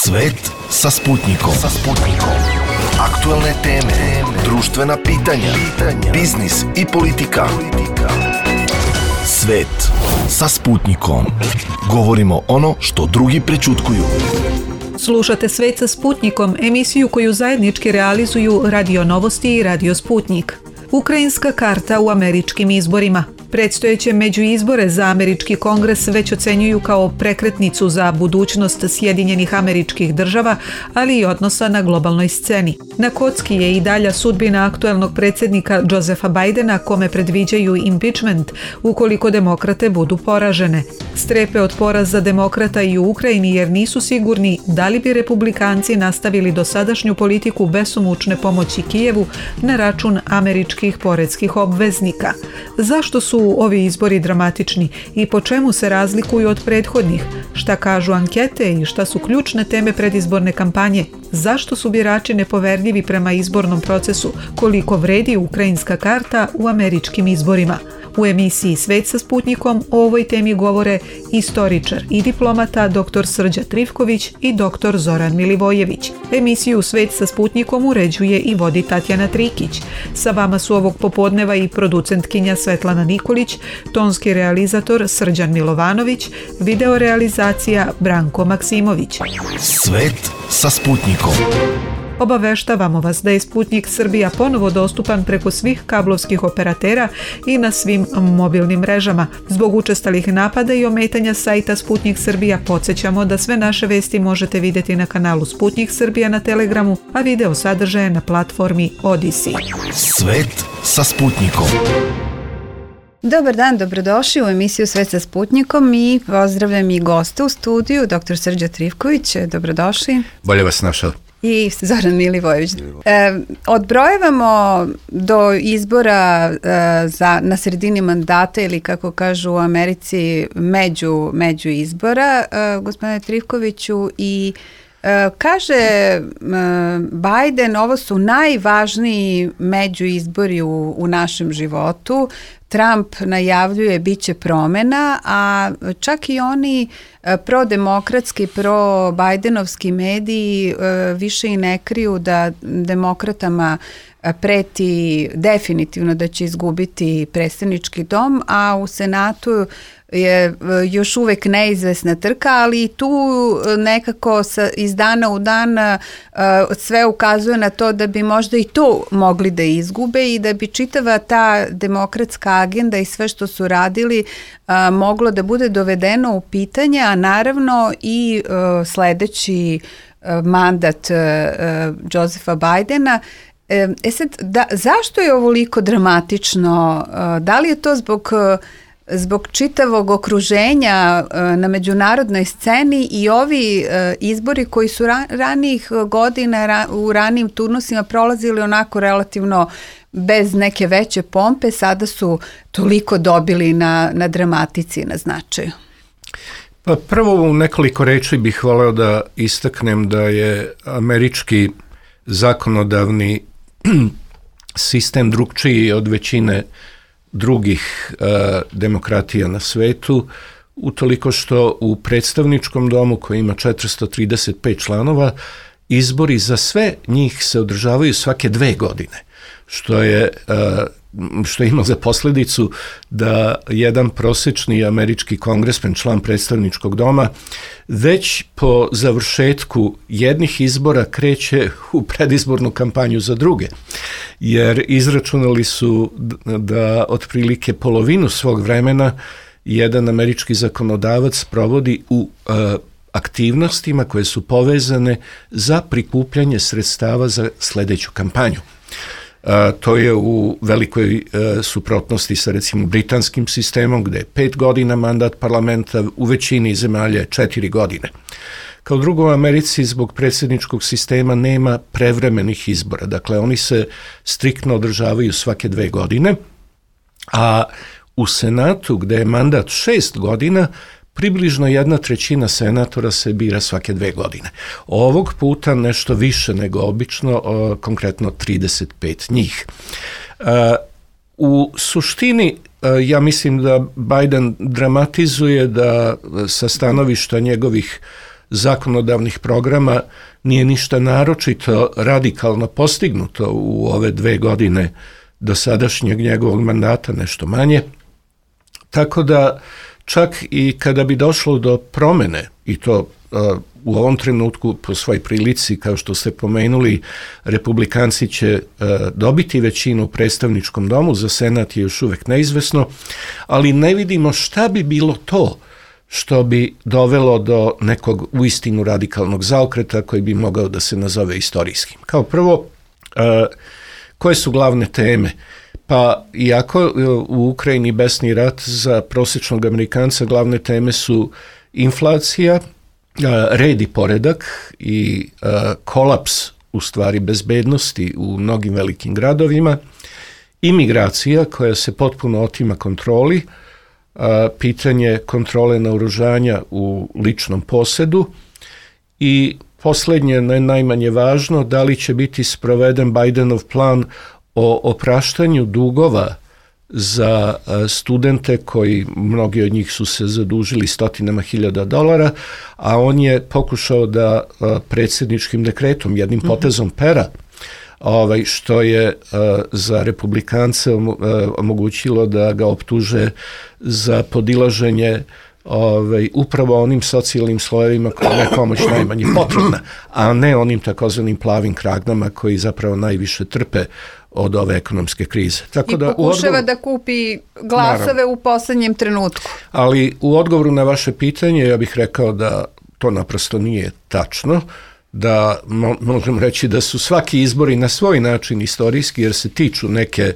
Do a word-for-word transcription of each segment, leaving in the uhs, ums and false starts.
Svet sa Sputnikom. Sa Sputnikom. Aktuelne teme, društvena pitanja, pitanja, biznis i politika. Svet sa Sputnikom. Govorimo ono što drugi prećutkuju. Slušate Svet sa Sputnikom, emisiju koju zajednički realizuju Radio Novosti i Radio Sputnik. Ukrajinska karta u američkim izborima. Predstojeće međuizbore za američki kongres već ocenjuju kao prekretnicu za budućnost Sjedinjenih Američkih Država, ali i odnosa na globalnoj sceni. Na kocki je i dalja sudbina aktuelnog predsjednika Josepha Bidena, kome predviđaju impeachment ukoliko demokrate budu poražene. Strepe od poraza demokrata i u Ukrajini jer nisu sigurni da li bi republikanci nastavili dosadašnju politiku besomučne pomoći Kijevu na račun američkih poreskih obveznika. Zašto su ovi izbori dramatični i po čemu se razlikuju od prethodnih? Šta kažu ankete i šta su ključne teme predizborne kampanje? Zašto su birači nepoverljivi prema izbornom procesu? Koliko vredi ukrajinska karta u američkim izborima? U emisiji Svet sa Sputnikom o ovoj temi govore istoričar i diplomata doktor Srđa Trifković i doktor Zoran Milivojević. Emisiju Svet sa Sputnikom uređuje i vodi Tatjana Trikić. Sa vama su ovog popodneva i producentkinja Svetlana Nikolić, tonski realizator Srđan Milovanović, videorealizacija Branko Maksimović. Svet sa Sputnikom. Obaveštavamo vas da je Sputnik Srbija ponovo dostupan preko svih kablovskih operatera i na svim mobilnim mrežama. Zbog učestalih napada i ometanja sajta Sputnik Srbija podsjećamo da sve naše vesti možete vidjeti na kanalu Sputnik Srbija na Telegramu, a video sadržaje na platformi Odisi. Svet sa Sputnikom. Dobar dan, dobrodošli u emisiju Svet sa Sputnikom i pozdravljam i gosta u studiju, doktor Srđa Trifković, dobrodošli. Bolje vas našao. I Zoran Milivojević. E, odbrojevamo do izbora e, za, na sredini mandata ili kako kažu u Americi među, među izbora, e, gospodine Trifkoviću, i e, kaže e, Biden, ovo su najvažniji međuizbori u, u našem životu. Trump najavljuje biće promjena, a čak i oni prodemokratski, pro-Bajdenovski mediji više i ne kriju da demokratama preti definitivno da će izgubiti predstavnički dom, a u Senatu je još uvek neizvesna trka, ali tu nekako sa, iz dana u dan sve ukazuje na to da bi možda i to mogli da izgube i da bi čitava ta demokratska agenda i sve što su radili moglo da bude dovedeno u pitanje, a naravno i sledeći mandat Josepha Bidena. E sad, da, zašto je ovoliko dramatično? Da li je to zbog zbog čitavog okruženja na međunarodnoj sceni i ovi izbori koji su ranijih godina u ranijim turnusima prolazili onako relativno bez neke veće pompe, sada su toliko dobili na, na dramatici, na značaju? Pa prvo u nekoliko reči bih voleo da istaknem da je američki zakonodavni sistem drugčiji od većine drugih uh, demokratija na svetu, utoliko što u predstavničkom domu koji ima četiristo trideset pet članova, izbori za sve njih se održavaju svake dve godine, što je uh, što ima za posljedicu da jedan prosječni američki kongresmen, član predstavničkog doma, već po završetku jednih izbora kreće u predizbornu kampanju za druge, jer izračunali su da otprilike polovinu svog vremena jedan američki zakonodavac provodi u uh, aktivnostima koje su povezane za prikupljanje sredstava za sljedeću kampanju. Uh, to je u velikoj uh, suprotnosti sa recimo britanskim sistemom gdje je pet godina mandat parlamenta, u većini zemalja četiri godine. Kao drugo, u Americi zbog predsjedničkog sistema nema prevremenih izbora, dakle oni se striktno održavaju svake dve godine, a u Senatu gdje je mandat šest godina, približno jedna trećina senatora se bira svake dve godine. Ovog puta nešto više nego obično, konkretno trideset pet njih. U suštini, ja mislim da Biden dramatizuje da sa stanovišta njegovih zakonodavnih programa nije ništa naročito radikalno postignuto u ove dve godine do sadašnjeg njegovog mandata, nešto manje. Tako da čak i kada bi došlo do promene, i to uh, u ovom trenutku po svoj prilici, kao što ste pomenuli, republikanci će uh, dobiti većinu u predstavničkom domu, za senat je još uvek neizvesno, ali ne vidimo šta bi bilo to što bi dovelo do nekog uistinu radikalnog zaokreta koji bi mogao da se nazove istorijskim. Kao prvo, uh, koje su glavne teme? Pa iako u Ukrajini besni rat, za prosječnog Amerikanca glavne teme su inflacija, red i poredak i kolaps u stvari bezbednosti u mnogim velikim gradovima, imigracija koja se potpuno otima kontroli, pitanje kontrole naoružanja u ličnom posedu i posljednje, najmanje važno, da li će biti sproveden Bidenov plan o opraštanju dugova za studente koji, mnogi od njih su se zadužili stotinama hiljada dolara, a on je pokušao da predsjedničkim dekretom, jednim potezom pera, ovaj, što je za republikance omogućilo da ga optuže za podilaženje Ovaj, upravo onim socijalnim slojevima koja je pomoć najmanje potrebna, a ne onim takozvanim plavim kragnama koji zapravo najviše trpe od ove ekonomske krize. Tako I da pokušava odgovor... da kupi glasove Naravno. u poslednjem trenutku. Ali u odgovoru na vaše pitanje ja bih rekao da to naprosto nije tačno, da mo- možemo reći da su svaki izbori na svoj način istorijski jer se tiču neke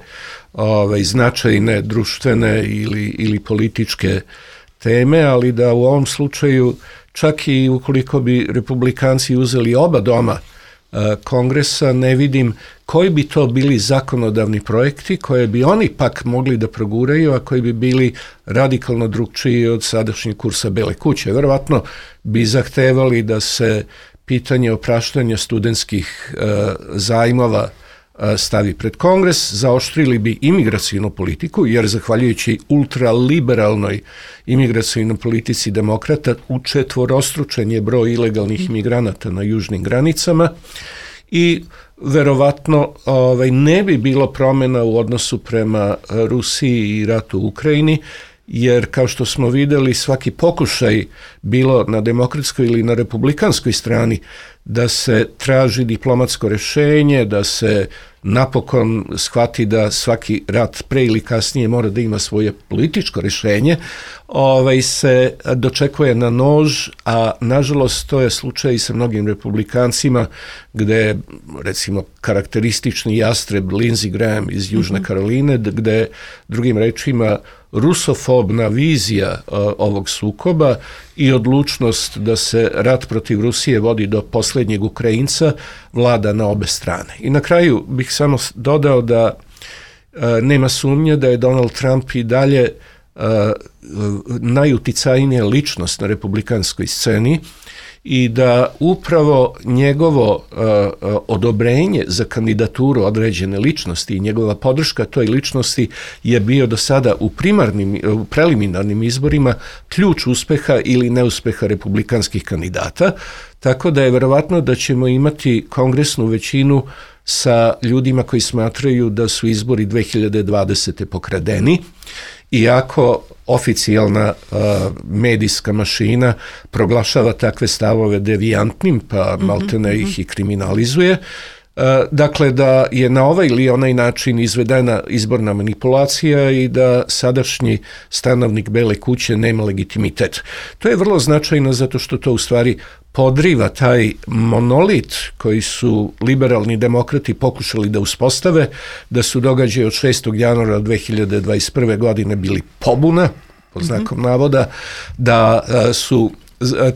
ovaj, značajne društvene ili, ili političke teme, ali da u ovom slučaju čak i ukoliko bi republikanci uzeli oba doma uh, kongresa, ne vidim koji bi to bili zakonodavni projekti koje bi oni pak mogli da proguraju, a koji bi bili radikalno drugčiji od sadašnjeg kursa Bele kuće. Verovatno bi zahtevali da se pitanje opraštanja studentskih uh, zajmova stavi pred Kongres, zaoštrili bi imigracijnu politiku, jer zahvaljujući ultraliberalnoj imigracijnoj politici demokrata učetvorostručen je broj ilegalnih imigranata na južnim granicama i verovatno ovaj, ne bi bilo promjena u odnosu prema Rusiji i ratu u Ukrajini, jer kao što smo videli svaki pokušaj bilo na demokratskoj ili na republikanskoj strani da se traži diplomatsko rješenje, da se napokon shvati da svaki rat pre ili kasnije mora da ima svoje političko rješenje, ovaj se dočekuje na nož, a nažalost to je slučaj i sa mnogim republikancima gde recimo karakteristični jastreb Lindsey Graham iz Južne mm-hmm. Karoline, gde drugim rečima rusofobna vizija uh, ovog sukoba i odlučnost da se rat protiv Rusije vodi do posljednjeg Ukrajinca vlada na obe strane. I na kraju bih samo dodao da uh, nema sumnje da je Donald Trump i dalje uh, najuticajnija ličnost na republikanskoj sceni i da upravo njegovo uh, odobrenje za kandidaturu određene ličnosti i njegova podrška toj ličnosti je bio do sada u primarnim, u preliminarnim izborima ključ uspeha ili neuspeha republikanskih kandidata, tako da je verovatno da ćemo imati kongresnu većinu sa ljudima koji smatraju da su izbori dve hiljade dvadesete pokradeni, iako oficijalna uh, medijska mašina proglašava takve stavove devijantnim, pa mm-hmm, maltene mm-hmm. ih i kriminalizuje. Uh, dakle, da je na ovaj ili onaj način izvedena izborna manipulacija i da sadašnji stanovnik Bele kuće nema legitimitet. To je vrlo značajno zato što to u stvari podriva taj monolit koji su liberalni demokrati pokušali da uspostave, da su događaji od šestog januara dve hiljade dvadeset prve. godine bili pobuna, pod znakom mm-hmm. navoda, da a, su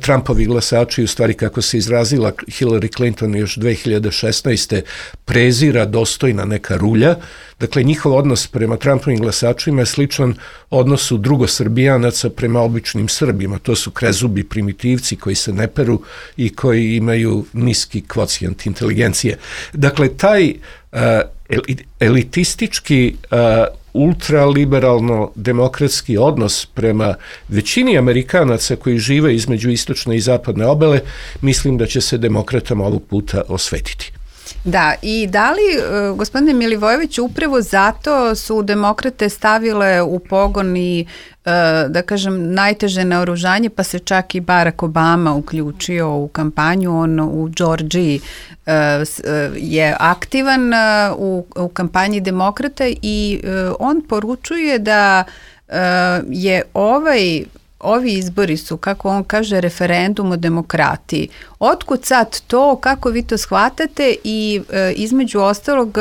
Trumpovi glasači, u stvari kako se izrazila Hillary Clinton još dve hiljade šesnaeste. prezira dostojna neka rulja. Dakle, njihov odnos prema Trumpovim glasačima je sličan odnosu drugosrbijanaca prema običnim Srbima. To su krezubi primitivci koji se ne peru i koji imaju niski kvocijent inteligencije. Dakle, taj uh, elitistički uh, ultraliberalno demokratski odnos prema većini Amerikanaca koji žive između istočne i zapadne obale, mislim da će se demokratama ovog puta osvetiti. Da, i da li, gospodine Milivojević, upravo zato su demokrate stavile u pogon i, da kažem, najteže naoružanje, pa se čak i Barack Obama uključio u kampanju. On u Džordžiji je aktivan u, u kampanji demokrata i on poručuje da je ovaj Ovi izbori su, kako on kaže, referendum o demokratiji. Otkud sad to, kako vi to shvatate i e, između ostalog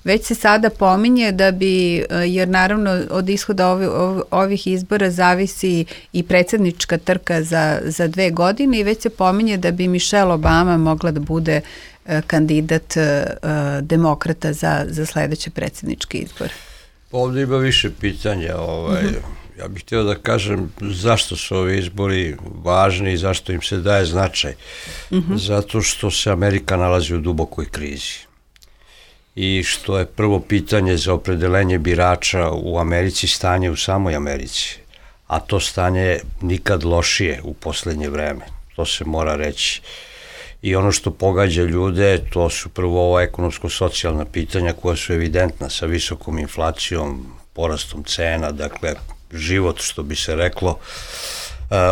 već se sada pominje da bi, e, jer naravno od ishoda ovi, ov, ovih izbora zavisi i predsjednička trka za, za dve godine i već se pominje da bi Michelle Obama mogla da bude e, kandidat e, demokrata za, za sledeće predsjedničke izbore. Ovdje ima više pitanja, ovaj... Mm-hmm. Ja bih htio da kažem zašto su ovi izbori važni i zašto im se daje značaj. Mm-hmm. Zato što se Amerika nalazi u dubokoj krizi. I što je prvo pitanje za opredelenje birača u Americi stanje u samoj Americi. A to stanje je nikad lošije u poslednje vreme. To se mora reći. I ono što pogađa ljude, to su prvo ova ekonomsko-socijalna pitanja koja su evidentna sa visokom inflacijom, porastom cena, dakle, život, što bi se reklo,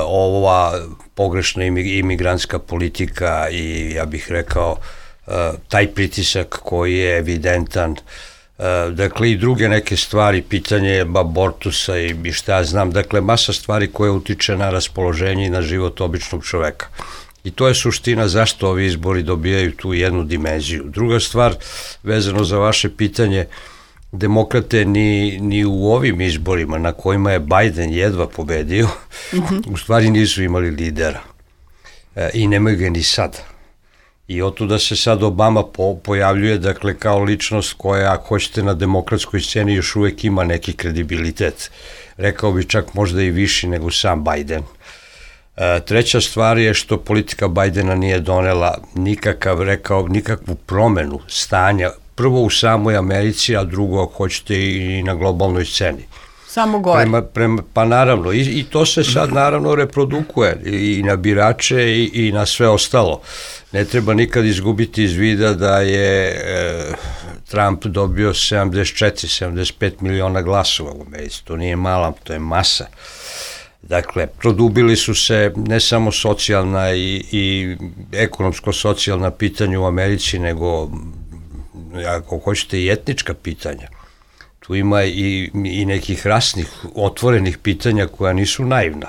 ova pogrešna imigrantska politika i ja bih rekao taj pritisak koji je evidentan, dakle i druge neke stvari, pitanje abortusa i šta ja znam, dakle masa stvari koje utiče na raspoloženje i na život običnog čoveka. I to je suština zašto ovi izbori dobijaju tu jednu dimenziju. Druga stvar, vezano za vaše pitanje, demokrate ni, ni u ovim izborima na kojima je Biden jedva pobedio, mm-hmm. u stvari nisu imali lidera. E, I nemaju ga ni sad. I otuda se sad Obama po, pojavljuje, dakle, kao ličnost koja, ako hoćete, na demokratskoj sceni još uvek ima neki kredibilitet. Rekao bi čak možda i viši nego sam Biden. E, treća stvar je što politika Bidena nije donela nikakav, rekao, nikakvu promenu stanja, prvo u samoj Americi, a drugo, ako hoćete, i na globalnoj sceni. Samo gore. Prema, prema, pa naravno, i, i to se sad naravno reprodukuje i, i na birače i, i na sve ostalo. Ne treba nikad izgubiti iz vida da je e, Trump dobio sedamdeset četiri sedamdeset pet miliona glasova u Americi. To nije mala, to je masa. Dakle, produbili su se ne samo socijalna i, i ekonomsko-socijalna pitanja u Americi, nego, ako hoćete, i etnička pitanja. Tu ima i, i nekih rasnih, otvorenih pitanja koja nisu naivna.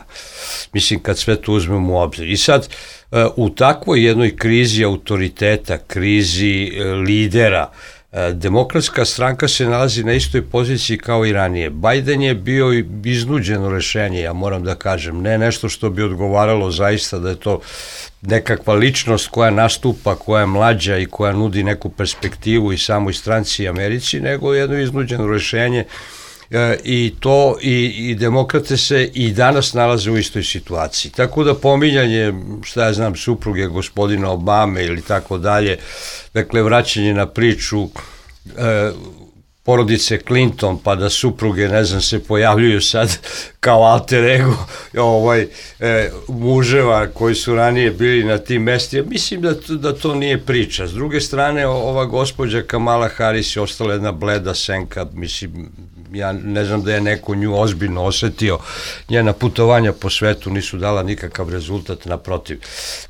Mislim, kad sve to uzmemo u obzir. I sad, u takvoj jednoj krizi autoriteta, krizi lidera, Demokratska stranka se nalazi na istoj poziciji kao i ranije. Biden je bio iznuđeno rešenje, ja moram da kažem, ne nešto što bi odgovaralo zaista da je to nekakva ličnost koja nastupa, koja je mlađa i koja nudi neku perspektivu i samoj stranci i Americi, nego jedno iznuđeno rešenje e, i to i, i demokrate se i danas nalaze u istoj situaciji. Tako da pominjanje, šta ja znam, supruge gospodina Obame ili tako dalje, dakle vraćanje na priču e, porodice Clinton, pa da supruge, ne znam, se pojavljuju sad kao alter ego ovaj, e, muževa koji su ranije bili na tim mestima. Mislim da to, da to nije priča. S druge strane, ova gospođa Kamala Harris je ostala jedna bleda senka, mislim, ja ne znam da je neko nju ozbiljno osetio, njena putovanja po svetu nisu dala nikakav rezultat, naprotiv.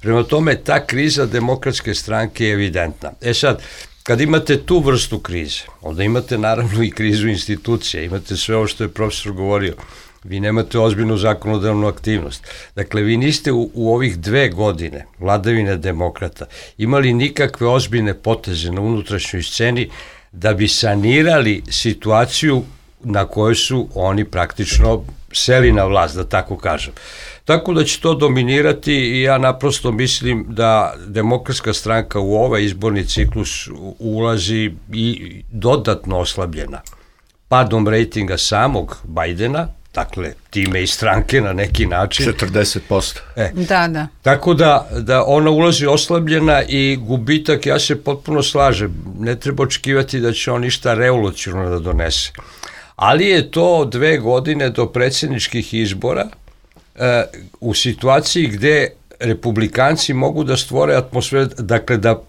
Prema tome, ta kriza demokratske stranke je evidentna. E sad, kad imate tu vrstu krize, onda imate naravno i krizu institucija, imate sve ovo što je profesor govorio, vi nemate ozbiljnu zakonodavnu aktivnost. Dakle, vi niste u, u ovih dve godine vladavine demokrata imali nikakve ozbiljne poteze na unutrašnjoj sceni da bi sanirali situaciju na kojoj su oni praktično seli na vlast, da tako kažem. Tako da će to dominirati i ja naprosto mislim da Demokratska stranka u ovaj izborni ciklus ulazi i dodatno oslabljena padom rejtinga samog Bidena, dakle time i stranke na neki način. četrdeset posto. E, da, da. Tako da, da ona ulazi oslabljena i gubitak, ja se potpuno slažem, ne treba očekivati da će on ništa revolucionarno da donese. ali je to dve godine do predsjedničkih izbora e, u situaciji gde republikanci mogu da stvore atmosferu, dakle da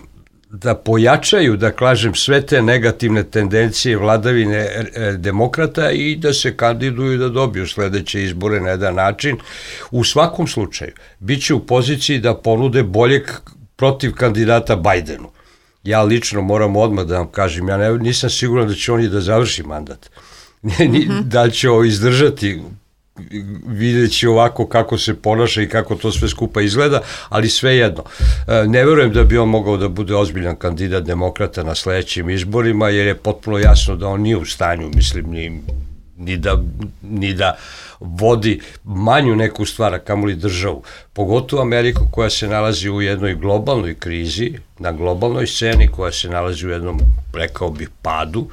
da pojačaju, da kažem, sve te negativne tendencije vladavine e, demokrata i da se kandiduju da dobiju sledeće izbore na jedan način. U svakom slučaju, bit će u poziciji da ponude boljeg protiv kandidata Bajdenu. Ja lično moram odmah da vam kažem, ja ne, nisam siguran da će oni da završi mandat. Mm-hmm. Da li će ovo izdržati, videći ovako kako se ponaša i kako to sve skupa izgleda, ali svejedno. Ne verujem da bi on mogao da bude ozbiljan kandidat demokrata na sledećim izborima, jer je potpuno jasno da on nije u stanju, mislim, ni, ni, da, ni da vodi manju neku stvar, a kamoli državu. Pogotovo Ameriku koja se nalazi u jednoj globalnoj krizi, na globalnoj sceni, koja se nalazi u jednom, rekao bih, padu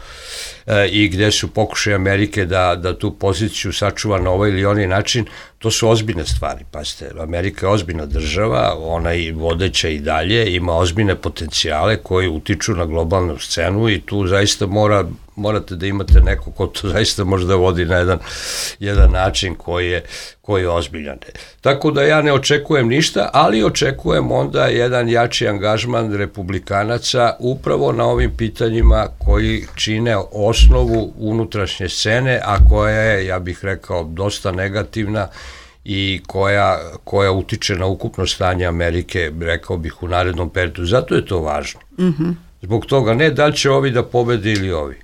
e, i gde su pokušaje Amerike da, da tu poziciju sačuva na ovaj ili onaj način, to su ozbiljne stvari. Pazite, Amerika je ozbiljna država, ona i vodeća i dalje, ima ozbiljne potencijale koji utiču na globalnu scenu i tu zaista mora, morate da imate neko ko to zaista može da vodi na jedan, jedan način koji je, koji je ozbiljan. Tako da ja ne očekujem ništa, ali očekujem onda jedan jači angažman republikanaca upravo na ovim pitanjima koji čine osnovu unutrašnje scene, a koja je, ja bih rekao, dosta negativna i koja, koja utiče na ukupno stanje Amerike, rekao bih, u narednom periodu. Zato je to važno. Mm-hmm. Zbog toga ne da li će ovi da pobede ili ovi.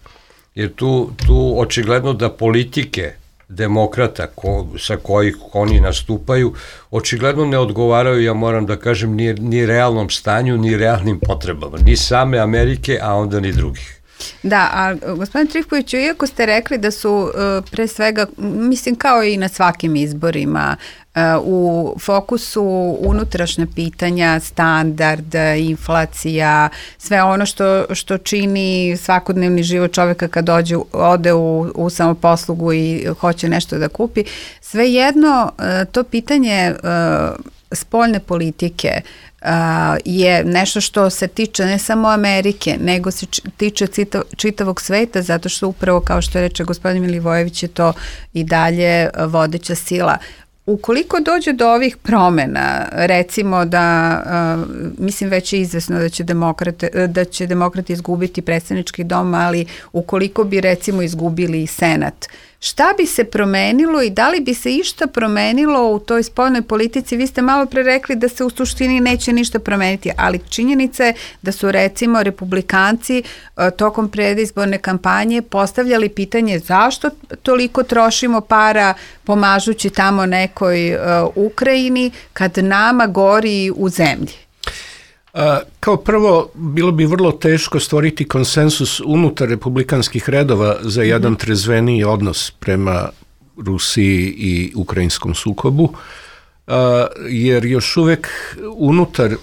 Jer tu, tu očigledno da politike demokrata ko, sa kojih oni nastupaju očigledno ne odgovaraju, ja moram da kažem, ni, ni realnom stanju, ni realnim potrebama, ni same Amerike, a onda ni drugih. Da, a gospodin Trifkoviću, iako ste rekli da su uh, pre svega, mislim kao i na svakim izborima, uh, u fokusu unutrašnja pitanja, standard, inflacija, sve ono što, što čini svakodnevni život čoveka kad dođe, ode u, u samoposlugu i hoće nešto da kupi, svejedno uh, to pitanje uh, spoljne politike Uh, je nešto što se tiče ne samo Amerike, nego se č- tiče cita- čitavog sveta, zato što upravo, kao što reče gospodin Milivojević, je to i dalje vodeća sila. Ukoliko dođe do ovih promena, recimo da, uh, mislim već je izvesno da će, demokrate, da će demokrati izgubiti predsjednički dom, ali ukoliko bi recimo izgubili i Senat, šta bi se promenilo i da li bi se išta promenilo u toj spoljnoj politici? Vi ste malo pre rekli da se u suštini neće ništa promeniti, ali činjenica je da su recimo republikanci uh, tokom predizborne kampanje postavljali pitanje zašto toliko trošimo para pomažući tamo nekoj uh, Ukrajini kad nama gori u zemlji. A, kao prvo, bilo bi vrlo teško stvoriti konsensus unutar republikanskih redova za jedan mm-hmm. trezveniji odnos prema Rusiji i ukrajinskom sukobu, a, jer još uvek unutar a,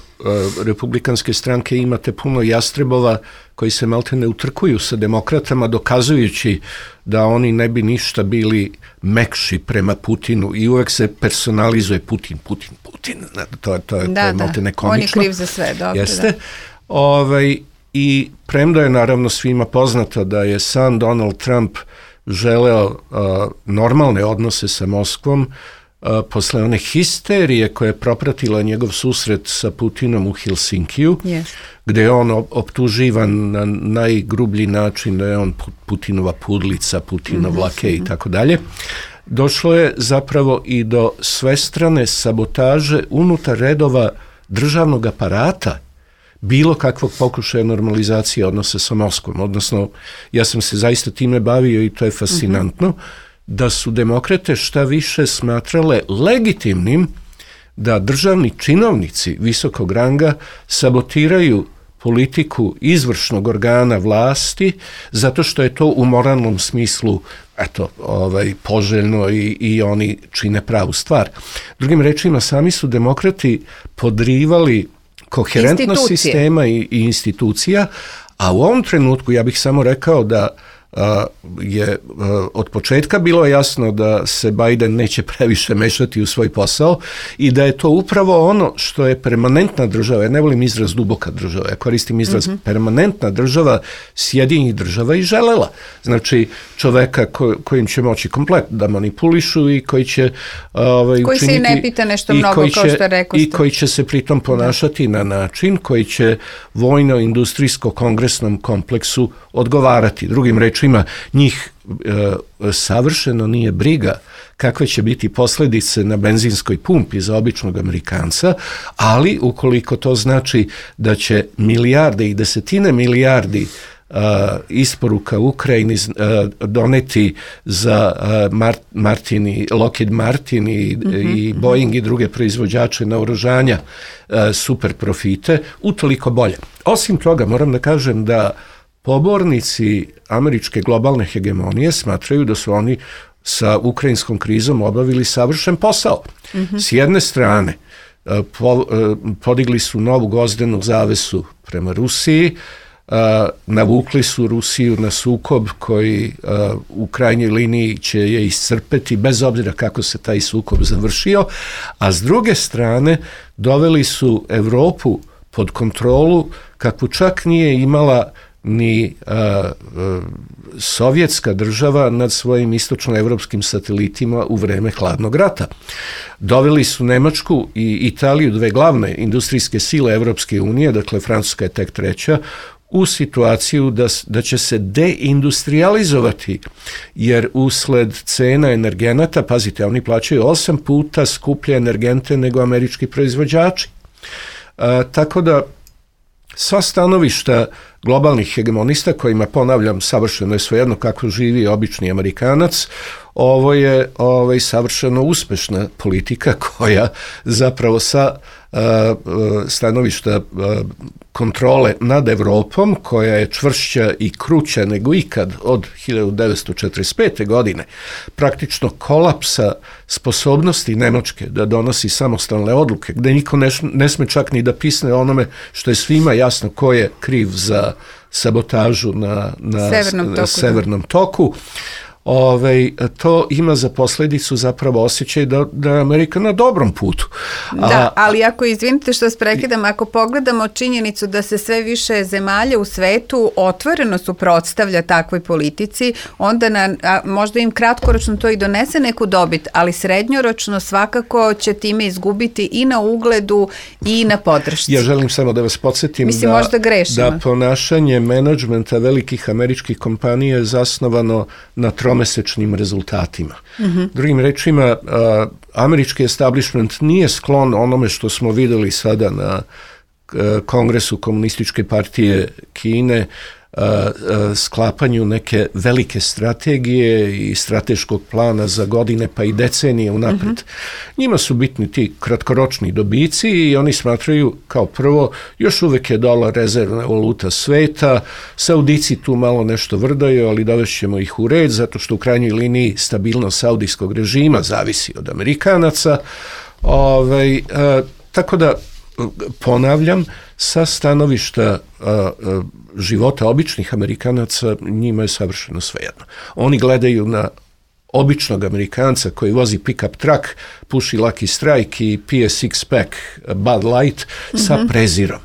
republikanske stranke imate puno jastrebova koji se malte ne utrkuju sa demokratama, dokazujući da oni ne bi ništa bili mekši prema Putinu i uvek se personalizuje Putin, Putin, Putin. To, to je, da, to je malte ne komično. On je kriv za sve, dobro. Jeste. Da. Ovaj, i premda je naravno svima poznato da je sam Donald Trump želeo uh, normalne odnose sa Moskvom, uh, posle one histerije koja je propratila njegov susret sa Putinom u Helsinkiju, yes. gde je on optuživan na najgrublji način da je on Putinova pudlica, Putinov mm-hmm. lakej i tako dalje. Došlo je zapravo i do svestrane sabotaže unutar redova državnog aparata bilo kakvog pokušaja normalizacije odnosa sa Moskvom. Odnosno, ja sam se zaista time bavio i to je fascinantno, mm-hmm. da su demokrate šta više smatrale legitimnim da državni činovnici visokog ranga sabotiraju politiku izvršnog organa vlasti zato što je to u moralnom smislu eto, ovaj, poželjno i, i oni čine pravu stvar. Drugim rečima, sami su demokrati podrivali koherentnost sistema i, i institucija, a u ovom trenutku ja bih samo rekao da je od početka bilo jasno da se Biden neće previše mešati u svoj posao i da je to upravo ono što je permanentna država, ja ne volim izraz duboka država, ja koristim izraz mm-hmm. permanentna država Sjedinjenih država i želela. Znači čoveka ko, kojim će moći komplet da manipulišu i koji će ovaj, koji učiniti, se i ne pita nešto mnogo kao će, što rekao i koji će se pritom ponašati da. na način koji će vojno-industrijsko-kongresnom kompleksu odgovarati. Drugim rečima, njih e, savršeno nije briga kakve će biti posljedice na benzinskoj pumpi za običnog Amerikanca, ali ukoliko to znači da će milijarde i desetine milijardi Uh, isporuka Ukrajini uh, doneti za uh, Mart, Martin i Lockheed Martin i, mm-hmm. i Boeing i druge proizvođače naoružanja uh, super profite, utoliko bolje. Osim toga, moram da kažem da pobornici američke globalne hegemonije smatraju da su oni sa ukrajinskom krizom obavili savršen posao. Mm-hmm. S jedne strane, uh, po, uh, podigli su novu gvozdenu zavesu prema Rusiji, Uh, navukli su Rusiju na sukob koji uh, u krajnjoj liniji će je iscrpeti bez obzira kako se taj sukob završio, a s druge strane doveli su Evropu pod kontrolu kakvu čak nije imala ni uh, uh, sovjetska država nad svojim istočnoevropskim satelitima u vreme hladnog rata. Doveli su Nemačku i Italiju, dve glavne industrijske sile Evropske unije, dakle Francuska je tek treća, u situaciju da, da će se deindustrializovati, jer usled cena energenata, pazite, oni plaćaju osam puta skuplje energente nego američki proizvođači. A, tako da sva stanovišta globalnih hegemonista, kojima, ponavljam, savršeno je svejedno kako živi obični Amerikanac, ovo je ovaj, savršeno uspešna politika koja zapravo sa uh, stanovišta uh, kontrole nad Evropom, koja je čvršća i kruća nego ikad od hiljadu devetsto četrdeset pete. godine, praktično kolapsa sposobnosti Nemačke da donosi samostalne odluke, gde niko ne, ne sme čak ni da pisne onome što je svima jasno ko je kriv za sabotažu na, na severnom toku. Severnom toku. Ove, to ima za posljedicu zapravo osjećaj da, da je Amerika na dobrom putu. A, da, ali ako, izvinite što vas prekidam, ako pogledamo činjenicu da se sve više zemalja u svetu otvoreno suprotstavlja takvoj politici, onda na, a, možda im kratkoročno to i donese neku dobit, ali srednjoročno svakako će time izgubiti i na ugledu i na podršci. Ja želim samo da vas podsjetim Mislim, da, možda da ponašanje menadžmenta velikih američkih kompanija je zasnovano na tromesečnim rezultatima. Mm-hmm. Drugim rečima, a, američki establishment nije sklon onome što smo videli sada na a, Kongresu Komunističke partije Kine, a, a, sklapanju neke velike strategije i strateškog plana za godine pa i decenije unapred. Mm-hmm. Njima su bitni ti kratkoročni dobici i oni smatraju kao prvo, još uvek je dolar rezervna valuta sveta, Saudici tu malo nešto vrdaju, ali dovešćemo ih u red, zato što u krajnjoj liniji stabilnost saudijskog režima zavisi od Amerikanaca. Ove, a, tako da, ponavljam, sa stanovišta a, a, života običnih Amerikanaca njima je savršeno svejedno. Oni gledaju na običnog Amerikanca koji vozi pick-up truck, puši Lucky Strike i pije six-pack Bud Light mm-hmm. sa prezirom.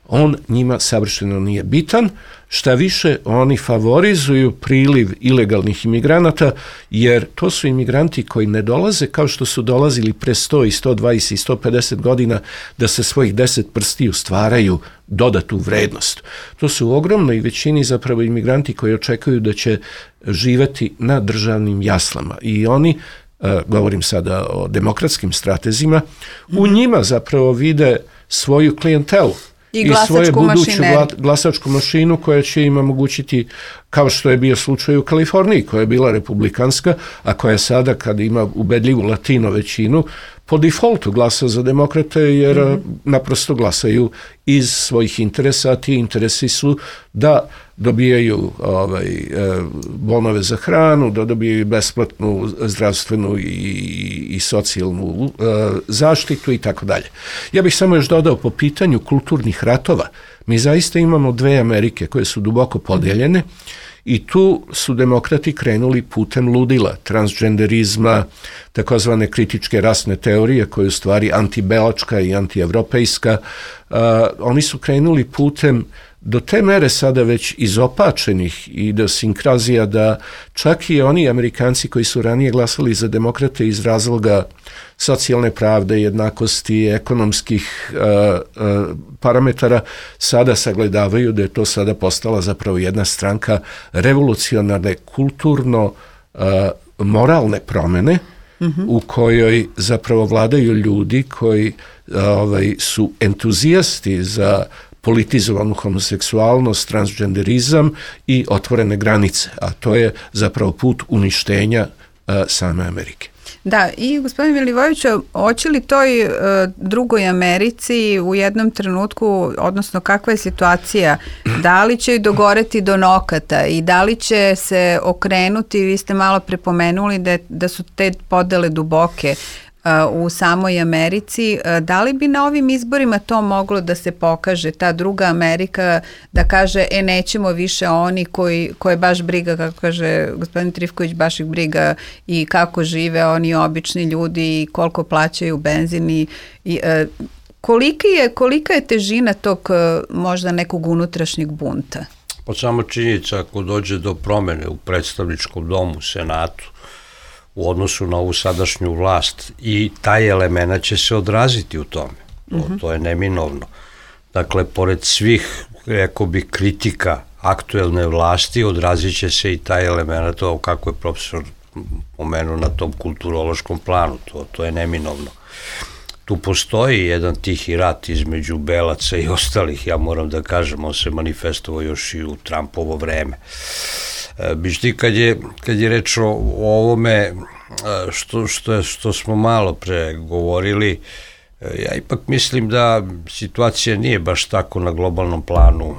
On njima savršeno nije bitan, šta više oni favorizuju priliv ilegalnih imigranata, jer to su imigranti koji ne dolaze kao što su dolazili pre sto i sto dvadeset i sto pedeset godina da se svojih deset prstiju stvaraju dodatu vrednost. To su u ogromnoj većini zapravo imigranti koji očekuju da će živeti na državnim jaslama i oni, uh, govorim sada o demokratskim stratezima, u njima zapravo vide svoju klijentelu. I, I svoju buduću glasačku mašinu koja će im omogućiti, kao što je bio slučaj u Kaliforniji, koja je bila republikanska, a koja sada, kad ima ubedljivu latino većinu, po defaultu glasa za demokrate, jer mm-hmm. naprosto glasaju iz svojih interesa, a ti interesi su da dobijaju ovaj, bonove za hranu, da dobijaju besplatnu zdravstvenu i, i socijalnu uh, zaštitu i tako dalje. Ja bih samo još dodao po pitanju kulturnih ratova. Mi zaista imamo dve Amerike koje su duboko podeljene I tu su demokrati krenuli putem ludila, transgenderizma, takozvane kritičke rasne teorije, koja je u stvari antibelačka i antievropejska. Uh, oni su krenuli putem do te mere sada već izopačenih idiosinkrazija da čak i oni Amerikanci koji su ranije glasali za demokrate iz razloga socijalne pravde, jednakosti, ekonomskih uh, uh, parametara, sada sagledavaju da je to sada postala zapravo jedna stranka revolucionarne, kulturno uh, moralne promene, mm-hmm. u kojoj zapravo vladaju ljudi koji uh, ovaj, su entuzijasti za politizovanu homoseksualnost, transgenderizam i otvorene granice, a to je zapravo put uništenja uh, same Amerike. Da, i gospodin Milivojeviću, hoće li toj uh, drugoj Americi u jednom trenutku, odnosno kakva je situacija, da li će dogoreti do nokata i da li će se okrenuti, vi ste malo prepomenuli da, da su te podele duboke u samoj Americi, da li bi na ovim izborima to moglo da se pokaže, ta druga Amerika, da kaže, e, nećemo više oni koji, koje baš briga, kako kaže gospodin Trifković, baš ih briga i kako žive oni obični ljudi i koliko plaćaju benzin i, i e, kolika je, kolika je težina tog možda nekog unutrašnjeg bunta? Pa samo činjenica, ako dođe do promene u predstavničkom domu, senatu, u odnosu na ovu sadašnju vlast, i taj element će se odraziti u tome. To, mm-hmm. to je neminovno. Dakle, pored svih, rekao bi, kritika aktuelne vlasti, odrazit će se i taj element, to kako je profesor pomenuo na tom kulturološkom planu, to, to je neminovno. Tu postoji jedan tihi rat između belaca i ostalih, ja moram da kažem, on se manifestovao još i u Trumpovo vreme. Bišti, kad je, kad je reč o, o ovome što, što, je, što smo malo pre govorili, ja ipak mislim da situacija nije baš tako na globalnom planu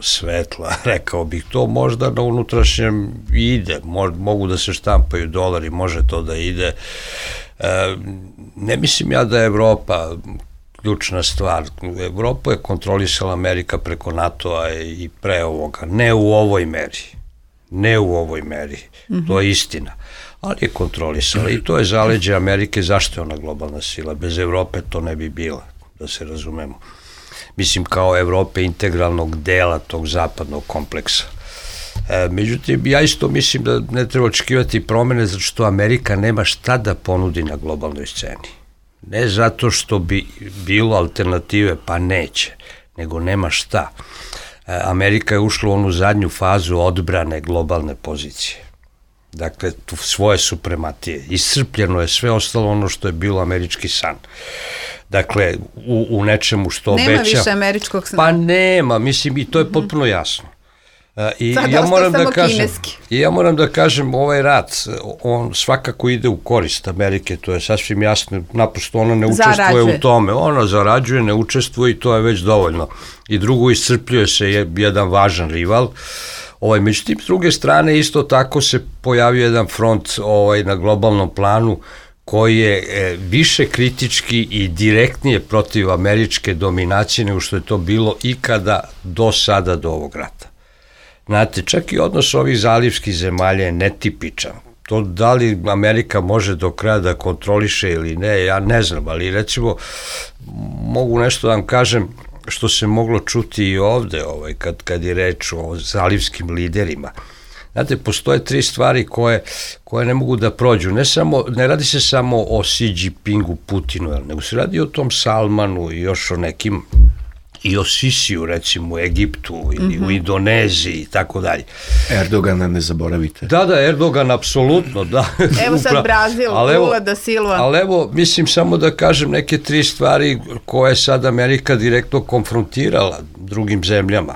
svetla, rekao bih. To možda na unutrašnjem ide, Mo, mogu da se štampaju dolari, može to da ide. E, ne mislim ja da je Evropa ključna stvar. Evropu je kontrolisala Amerika preko NATO-a i pre ovoga, ne u ovoj meri. Ne u ovoj meri, mm-hmm. to je istina, ali je kontrolisala i to je zaleđe Amerike. Zašto je ona globalna sila? Bez Evrope to ne bi bila, da se razumemo. Mislim, kao Evrope integralnog dela tog zapadnog kompleksa. E, međutim, ja isto mislim da ne treba očekivati promene zato što Amerika nema šta da ponudi na globalnoj sceni. Ne zato što bi bilo alternative, pa neće, nego nema šta. Amerika je ušla u onu zadnju fazu odbrane globalne pozicije. Dakle, tu svoje suprematije. Iscrpljeno je sve ostalo ono što je bilo američki san. Dakle, u, u nečemu što obeća... Nema više američkog sna. Pa nema, mislim, i to je potpuno jasno. I sad ja moram da kažem, kineski. I ja moram da kažem, ovaj rat, on svakako ide u korist Amerike, to je sasvim jasno, naprosto ona ne učestvuje zarađuje. u tome, ona zarađuje, ne učestvuje i to je već dovoljno. I drugo, iscrpljuje se jedan važan rival. Ovaj, međutim, s druge strane, isto tako se pojavio jedan front ovaj, na globalnom planu koji je e, više kritički i direktnije protiv američke dominacije nego što je to bilo ikada do sada, do ovog rata. Znate, čak i odnos ovih zalivskih zemalja je netipičan. To da li Amerika može do kraja da kontroliše ili ne, ja ne znam, ali recimo mogu nešto da vam kažem što se moglo čuti i ovde ovaj, kad, kad je reč o zalivskim liderima. Znate, postoje tri stvari koje, koje ne mogu da prođu. Ne, samo, ne radi se samo o Xi Jinpingu, Putinu, nego se radi o tom Salmanu i još o nekim, i o Sisiju, recimo, u Egiptu ili mm-hmm. u Indoneziji i tako dalje. Erdogana ne zaboravite. Da, da, Erdogan, apsolutno, da. Evo sad Brazil, Lula da Silva. Ali evo, mislim, samo da kažem neke tri stvari koje je sad Amerika direktno konfrontirala drugim zemljama.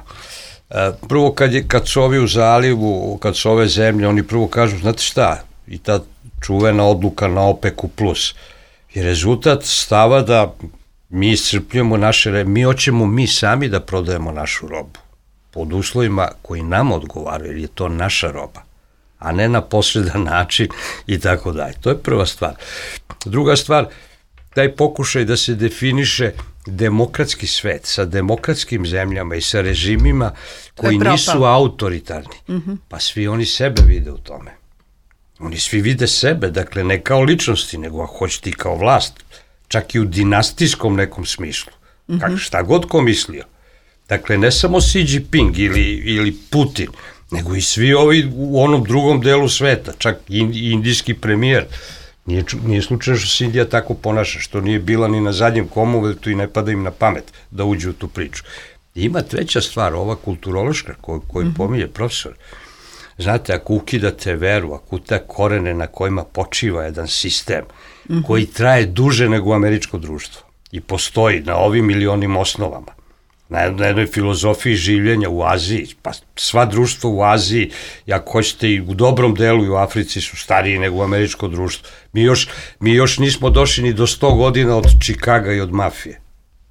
Prvo, kad, je, kad su ovi u zalivu, kad su ove zemlje, oni prvo kažu, znate šta, i ta čuvena odluka na OPEC-u plus je rezultat stava da mi iscrpljujemo naše, mi hoćemo mi sami da prodajemo našu robu pod uslovima koji nam odgovaraju, jer je to naša roba, a ne na posredan način i tako dalje. To je prva stvar. Druga stvar, taj pokušaj da se definiše demokratski svet sa demokratskim zemljama i sa režimima koji nisu autoritarni, mm-hmm. pa svi oni sebe vide u tome. Oni svi vide sebe, dakle ne kao ličnosti, nego ako hoćete i kao vlast, čak i u dinastijskom nekom smislu. Mm-hmm. Kak, šta god ko mislio. Dakle, ne samo Xi Jinping ili, ili Putin, nego i svi ovi u onom drugom delu sveta, čak i indijski premijer. Nije, nije slučajno što se Indija tako ponaša, što nije bila ni na zadnjem Commonwealthu i ne pada im na pamet da uđe u tu priču. I ima treća stvar, ova kulturološka koju, koju mm-hmm. pominje profesor. Znate, ako ukidate veru, ako te korene na kojima počiva jedan sistem mm-hmm. koji traje duže nego američko društvo i postoji na ovim ili onim osnovama, na jednoj filozofiji življenja u Aziji, pa sva društva u Aziji, ako hoćete i u dobrom delu i u Africi su stariji nego američko društvo. Mi još, mi još nismo došli ni do sto godina od Čikaga i od mafije.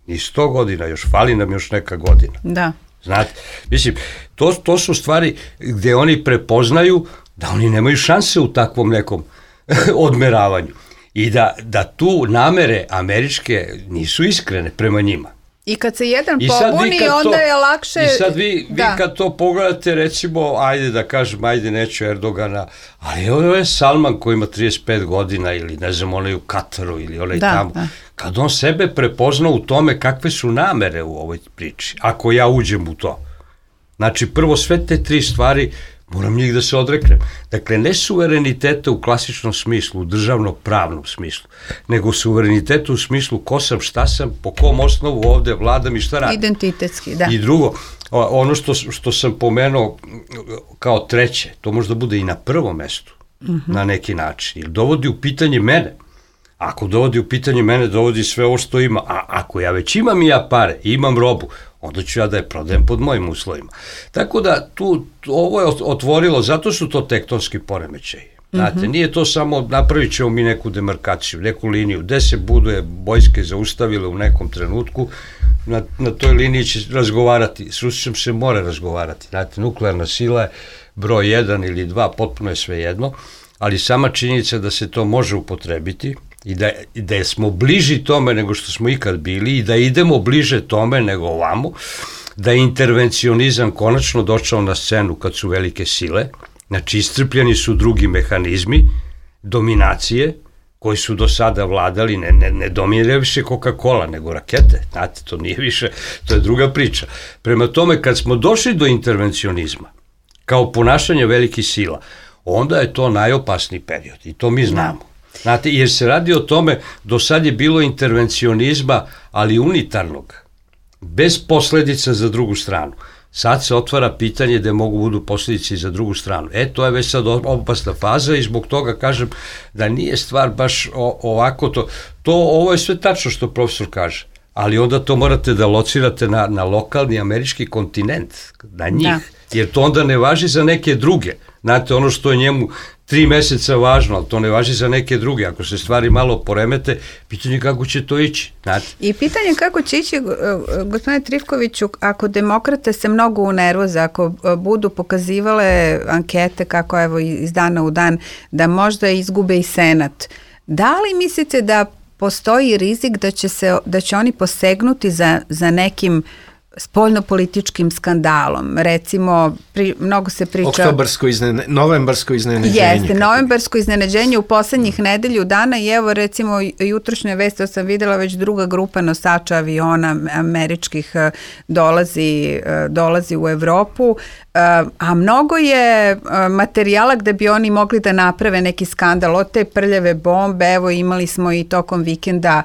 Ni sto godina, još fali nam još neka godina. Da. Znate, mislim, to, to su stvari gde oni prepoznaju da oni nemaju šanse u takvom nekom odmeravanju i da, da tu namere američke nisu iskrene prema njima. I kad se jedan pobuni, onda to, je lakše... I sad vi, vi kad to pogledate, recimo, ajde da kažem, ajde neću Erdogana, ali ovo je Salman koji ima trideset pet godina ili ne znam, onaj u Kataru ili onaj da, tamo. Da. Kad on sebe prepozna u tome kakve su namere u ovoj priči, ako ja uđem u to. Znači, prvo sve te tri stvari, moram njih da se odreknem. Dakle, ne suvereniteta u klasičnom smislu, u državno-pravnom smislu, nego suvereniteta u smislu ko sam, šta sam, po kom osnovu ovde vladam i šta radim. Identitetski, da. I drugo, ono što, što sam pomenuo kao treće, to možda bude i na prvom mestu, mm-hmm. na neki način, ili dovodi u pitanje mene. Ako dovodi u pitanje mene, dovodi sve ovo što ima. A ako ja već imam i ja pare, imam robu, onda ću ja da je prodajem pod mojim uslovima. Tako da tu, ovo je otvorilo, zato su to tektonski poremećaji. Znate, mm-hmm. nije to samo napravit ćemo mi neku demarkaciju, neku liniju, gde se budu vojske zaustavile u nekom trenutku, na, na toj liniji će razgovarati, s Rusijom se mora razgovarati. Znate, nuklearna sila je broj jedan ili dva, potpuno je sve jedno, ali sama činjenica da se to može upotrebiti, i da, da smo bliži tome nego što smo ikad bili i da idemo bliže tome nego ovamo, da je intervencionizam konačno došao na scenu kad su velike sile, znači iscrpljeni su drugi mehanizmi dominacije koji su do sada vladali, ne, ne, ne dominira više Coca-Cola, nego rakete, znate, to nije više, to je druga priča. Prema tome, kad smo došli do intervencionizma, kao ponašanje velikih sila, onda je to najopasniji period i to mi znamo. Znate, jer se radi o tome, do sad je bilo intervencionizma, ali unitarnog, bez posledica za drugu stranu. Sad se otvara pitanje da mogu budu posljedice i za drugu stranu. E, to je već sad opasna faza i zbog toga kažem da nije stvar baš o, ovako to. To, ovo je sve tačno što profesor kaže, ali onda to morate da locirate na, na lokalni američki kontinent, na njih, da. Jer to onda ne važi za neke druge. Znate, ono što je njemu tri meseca važno, ali to ne važi za neke druge. Ako se stvari malo poremete, pitanje kako će to ići. Znate. I pitanje kako će ići, gospodine Trifkoviću, ako demokrate se mnogo unervoze, ako budu pokazivale ankete kako evo iz dana u dan, da možda izgube i Senat, da li mislite da postoji rizik da će, se, da će oni posegnuti za, za nekim spoljnopolitičkim skandalom? Recimo, pri, mnogo se priča... Oktobarsko iznene, novembarsko iznenađenje. Jeste, novembarsko iznenađenje u poslednjih nedelju dana i evo recimo jutrošnje vesti sam videla već druga grupa nosača aviona američkih dolazi, dolazi u Evropu, a mnogo je materijala gde bi oni mogli da naprave neki skandal od te prljave bombe. Evo imali smo i tokom vikenda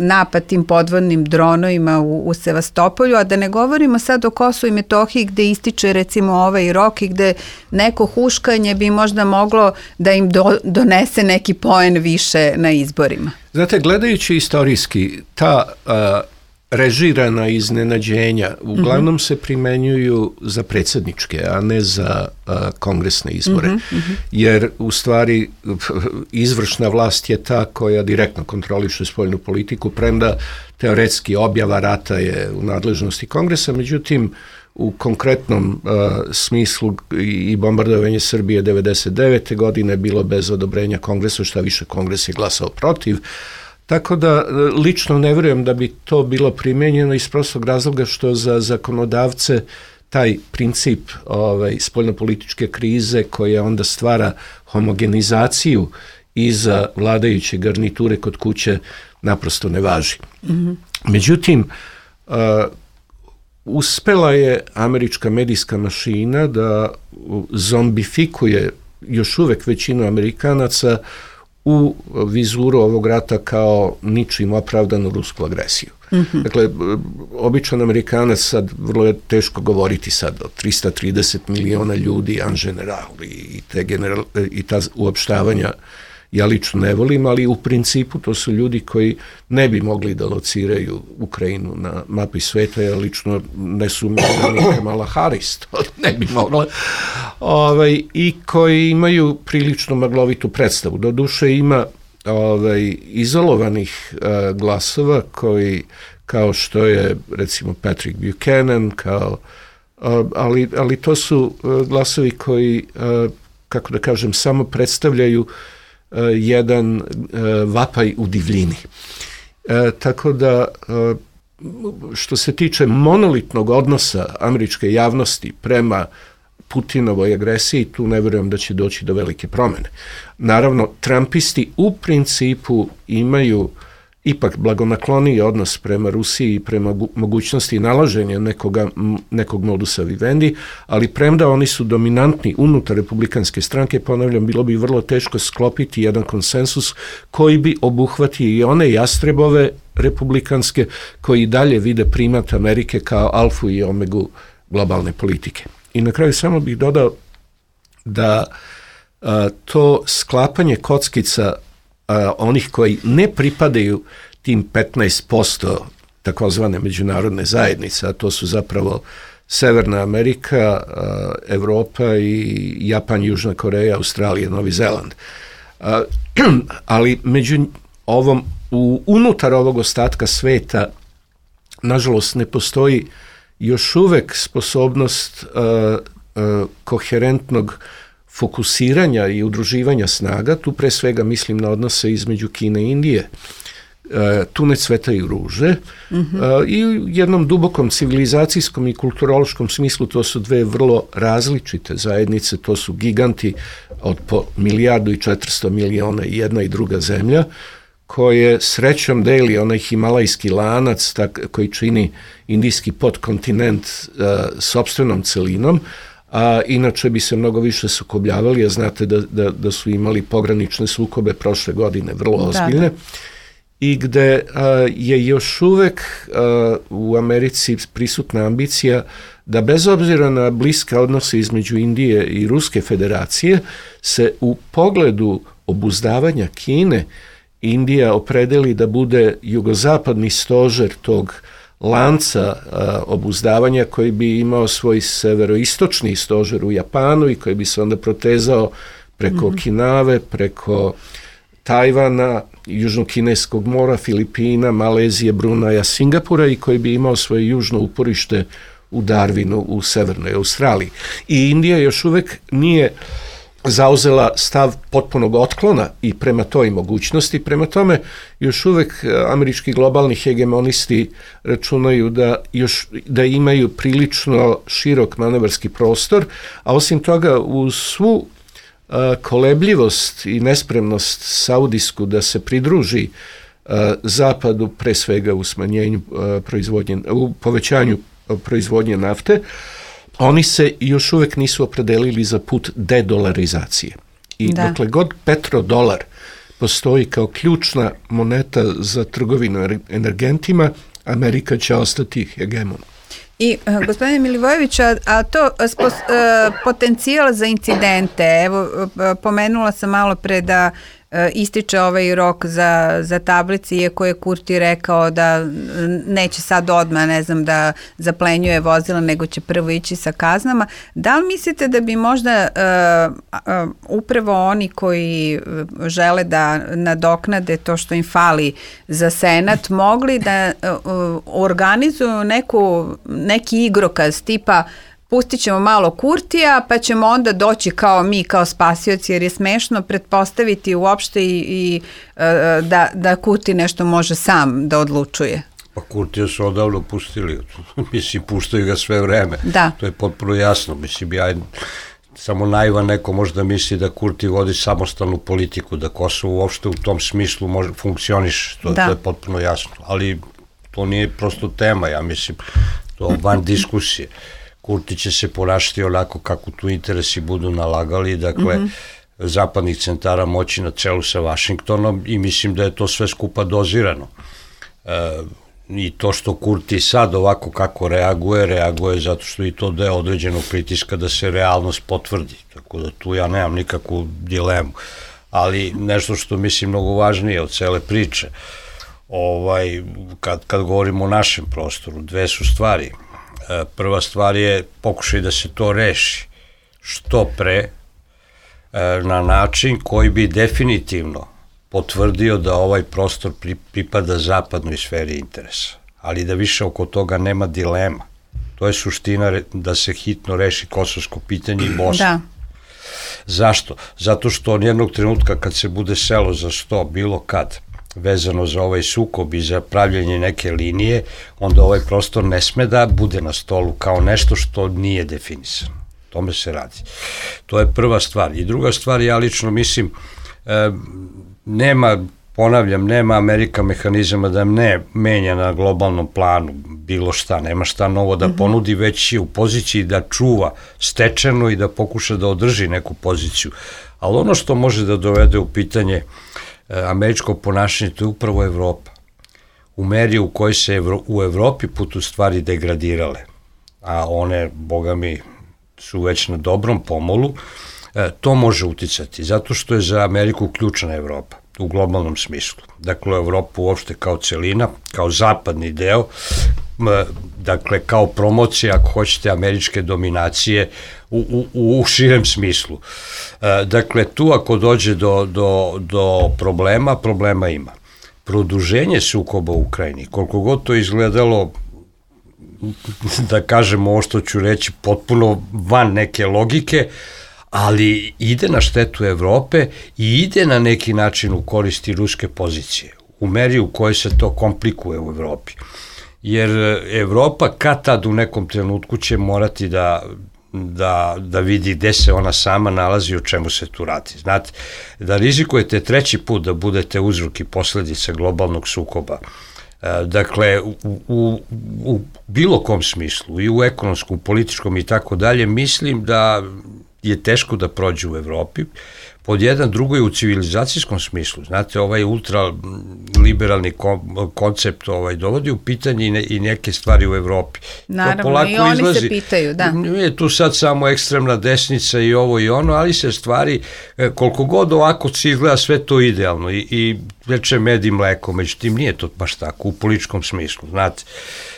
napad tim podvodnim dronovima u, u Sevastopolju, a da ne govorimo sad o Kosovu i Metohiji gde ističe recimo ovaj rok i gde neko huškanje bi možda moglo da im do, donese neki poen više na izborima. Znate, gledajući istorijski, ta uh, režirana iznenađenja uglavnom mm-hmm. se primenjuju za predsjedničke, a ne za uh, kongresne izbore. Mm-hmm. Jer u stvari izvršna vlast je ta koja direktno kontroliše spoljnu politiku, premda teoretski objava rata je u nadležnosti kongresa, međutim u konkretnom uh, smislu i bombardovanje Srbije devedeset devete godine bilo bez odobrenja kongresa, šta više kongres je glasao protiv. Tako da lično ne vjerujem da bi to bilo primijenjeno iz prostog razloga što za zakonodavce taj princip ovaj, spoljnopolitičke krize koja onda stvara homogenizaciju iza vladajuće garniture kod kuće naprosto ne važi. Mm-hmm. Međutim, uh, uspela je američka medijska mašina da zombifikuje još uvek većinu Amerikanaca u vizuru ovog rata kao ničim opravdanu rusku agresiju. Mm-hmm. Dakle, običan Amerikanac sad, vrlo je teško govoriti sad o tristo trideset miliona ljudi en general i, te general, i ta uopštavanja ja lično ne volim, ali u principu to su ljudi koji ne bi mogli da lociraju Ukrajinu na mapi sveta, ja lično ne sumnjam da ni Kamala Harris to ne bi mogla, ovaj, i koji imaju prilično maglovitu predstavu. Doduše ima ovaj, izolovanih uh, glasova koji, kao što je recimo Patrick Buchanan, kao, uh, ali, ali to su uh, glasovi koji, uh, kako da kažem, samo predstavljaju Uh, jedan uh, vapaj u divljini. Uh, tako da, uh, što se tiče monolitnog odnosa američke javnosti prema Putinovoj agresiji, tu ne vjerujem da će doći do velike promjene. Naravno, Trumpisti u principu imaju ipak blagonakloniji odnos prema Rusiji i prema mogućnosti nalaženja nekoga, nekog modusa vivendi, ali premda oni su dominantni unutar republikanske stranke, ponavljam, bilo bi vrlo teško sklopiti jedan konsensus koji bi obuhvatio i one jastrebove republikanske koji dalje vide primat Amerike kao alfu i omegu globalne politike. I na kraju samo bih dodao da a, to sklapanje kockica a, onih koji ne pripadaju tim petnaest posto takozvane međunarodne zajednice, a to su zapravo Severna Amerika, a, Evropa i Japan, Južna Koreja, Australija, Novi Zeland. A, ali među ovom, u, unutar ovog ostatka sveta, nažalost, ne postoji još uvek sposobnost uh, uh, koherentnog fokusiranja i udruživanja snaga, tu pre svega mislim na odnose između Kine i Indije. Uh, tu ne cvetaju ruže, mm-hmm. uh, i u jednom dubokom civilizacijskom i kulturološkom smislu to su dve vrlo različite zajednice, to su giganti od po milijardu i četiristo miliona i jedna i druga zemlja, koje srećom deli onaj himalajski lanac tak, koji čini indijski podkontinent uh, sopstvenom celinom, a inače bi se mnogo više sukobljavali, a znate da, da, da su imali pogranične sukobe prošle godine, vrlo ozbiljne, da, da. I gde uh, je još uvek uh, u Americi prisutna ambicija da bez obzira na bliske odnose između Indije i Ruske federacije se u pogledu obuzdavanja Kine Indija opredeli da bude jugozapadni stožer tog lanca a, obuzdavanja koji bi imao svoj severoistočni stožer u Japanu i koji bi se onda protezao preko mm-hmm. Okinave, preko Tajvana, Južnokineskog mora, Filipina, Malezije, Brunaja, Singapura i koji bi imao svoje južno uporište u Darwinu u Severnoj Australiji. I Indija još uvek nije zauzela stav potpunog otklona i prema toj mogućnosti. Prema tome, još uvek američki globalni hegemonisti računaju da, još, da imaju prilično širok manevarski prostor, a osim toga uz svu uh, kolebljivost i nespremnost saudijsku da se pridruži uh, zapadu, pre svega u smanjenju uh, proizvodnje, u povećanju uh, proizvodnje nafte, oni se još uvek nisu opredelili za put dedolarizacije. I da. Dokle god petrodolar postoji kao ključna moneta za trgovinu energentima, Amerika će ostati hegemon. I uh, gospodine Milivojević, a, a to spos, uh, potencijal za incidente, evo uh, pomenula sam malo pre da uh, ističe ovaj rok za, za tablici, iako je Kurti rekao da neće sad odmah, ne znam, da zaplenjuje vozila, nego će prvo ići sa kaznama. Da li mislite da bi možda uh, uh, upravo oni koji žele da nadoknade to što im fali za Senat, mogli da uh, organizuju neku, neki igrokaz tipa pustit ćemo malo Kurtija, pa ćemo onda doći kao mi, kao spasioci, jer je smešno pretpostaviti uopšte i, i da, da Kurti nešto može sam da odlučuje. Pa Kurtija su odavno pustili, mislim, puštaju ga sve vreme. Da. To je potpuno jasno, mislim, ja samo naivan neko možda misli da Kurti vodi samostalnu politiku, da Kosovo uopšte u tom smislu može, funkcioniš, to, to je potpuno jasno, ali to nije prosto tema, ja mislim, to van diskusije. Kurti će se ponašati onako kako tu interesi budu nalagali, dakle, mm-hmm. zapadnih centara moći na čelu sa Vašingtonom i mislim da je to sve skupa dozirano. E, I to što Kurti sad ovako kako reaguje, reaguje zato što i to deo određenog pritiska da se realnost potvrdi, tako da tu ja nemam nikakvu dilemu. Ali nešto što mislim mnogo važnije od cele priče, ovaj, kad, kad govorimo o našem prostoru, dve su stvari. Prva stvar je pokušaj da se to reši što pre na način koji bi definitivno potvrdio da ovaj prostor pripada zapadnoj sferi interesa, ali da više oko toga nema dilema. To je suština da se hitno reši kosovsko pitanje i Bosna. Da. Zašto? Zato što od jednog trenutka kad se bude selo za sto, bilo kad, vezano za ovaj sukob i za pravljenje neke linije, onda ovaj prostor ne sme da bude na stolu kao nešto što nije definisano. Tome se radi. To je prva stvar. I druga stvar, ja lično mislim, e, nema, ponavljam, nema Amerika mehanizama da ne menja na globalnom planu bilo šta, nema šta novo da ponudi, već je u poziciji da čuva stečeno i da pokuša da održi neku poziciju. Ali ono što može da dovede u pitanje američko ponašanje, to je upravo Evropa. U meri u kojoj se Evro, u Evropi putu stvari degradirale, a one, boga mi, su već na dobrom pomolu, to može uticati, zato što je za Ameriku ključna Evropa u globalnom smislu. Dakle, Evropa uopšte kao celina, kao zapadni deo, dakle, kao promocija, ako hoćete, američke dominacije u, u, u širem smislu. Dakle, tu ako dođe do, do, do problema, problema ima. Produženje sukoba u Ukrajini, koliko god to izgledalo, da kažem ovo što ću reći, potpuno van neke logike, ali ide na štetu Evrope i ide na neki način u koristi ruske pozicije, u meri u kojoj se to komplikuje u Evropi. Jer Evropa kad tad u nekom trenutku će morati da, da, da vidi gde se ona sama nalazi i o čemu se tu radi. Znate, da rizikujete treći put da budete uzrok i posledica globalnog sukoba, dakle, u, u, u bilo kom smislu, i u ekonomskom, političkom i tako dalje, mislim da je teško da prođe u Evropi. Pod jedan, drugo je u civilizacijskom smislu. Znate, ovaj ultraliberalni koncept ovaj, dovodi u pitanje i, ne, i neke stvari u Evropi. Naravno, i oni izlazi, se pitaju, da. Nije tu sad samo ekstremna desnica i ovo i ono, ali se stvari, koliko god ovako se izgleda sve to idealno i, i reče med i mleko, međutim nije to baš tako u političkom smislu, znate.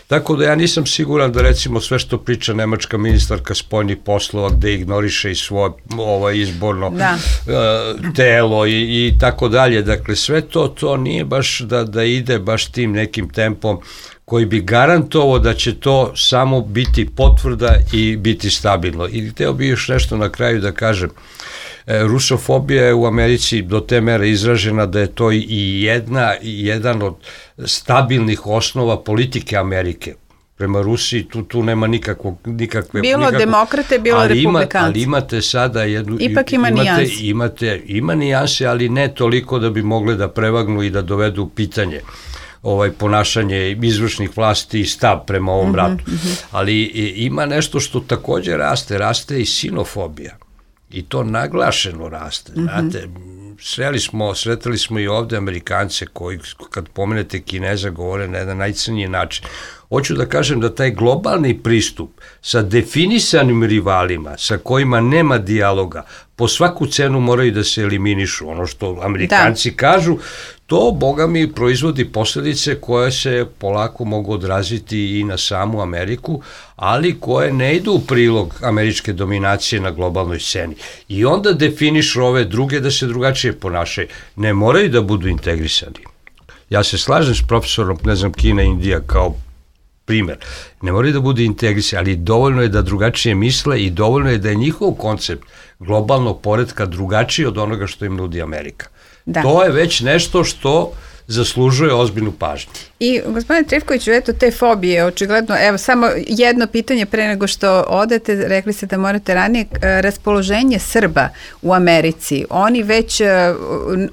Tako da ja nisam siguran da recimo sve što priča nemačka ministarka spoljnih poslova gde ignoriše i svoje ovaj, izborno da. uh, telo i, i tako dalje, dakle sve to, to nije baš da, da ide baš tim nekim tempom koji bi garantovao da će to samo biti potvrda i biti stabilno. I hteo bi još nešto na kraju da kažem. Rusofobija je u Americi do te mere izražena da je to i jedna, jedan od stabilnih osnova politike Amerike. Prema Rusiji tu, tu nema nikakvog, nikakve... Bilo nikakvog, demokrate, bilo ali republikanci. Ima, ali imate sada jednu... Ipak ima imate, nijanse. Imate, ima nijanse, ali ne toliko da bi mogle da prevagnu i da dovedu u pitanje ovaj ponašanje izvršnih vlasti i stav prema ovom ratu. Mm-hmm, mm-hmm. Ali ima nešto što takođe raste, raste i sinofobija. I to naglašeno raste, znate, sreli smo, sretali smo i ovde Amerikance koji, kad pomenete Kineza, govore na jedan najcrniji način. Hoću da kažem da taj globalni pristup sa definisanim rivalima, sa kojima nema dijaloga, po svaku cenu moraju da se eliminišu. Ono što Amerikanci da. kažu, to, boga mi, proizvodi posledice koje se polako mogu odraziti i na samu Ameriku, ali koje ne idu u prilog američke dominacije na globalnoj sceni. I onda definišu ove druge da se drugačije ponašaju. Ne moraju da budu integrisani. Ja se slažem s profesorom, ne znam, Kina, Indija kao primer. Ne moraju da bude integrisani, ali dovoljno je da drugačije misle i dovoljno je da je njihov koncept globalnog poretka drugačiji od onoga što im nudi Amerika. Da. To je već nešto što zaslužuje ozbiljnu pažnju. I gospodine Trifkoviću, eto te fobije, očigledno, evo samo jedno pitanje pre nego što odete, rekli ste da morate ranije, raspoloženje Srba u Americi, oni već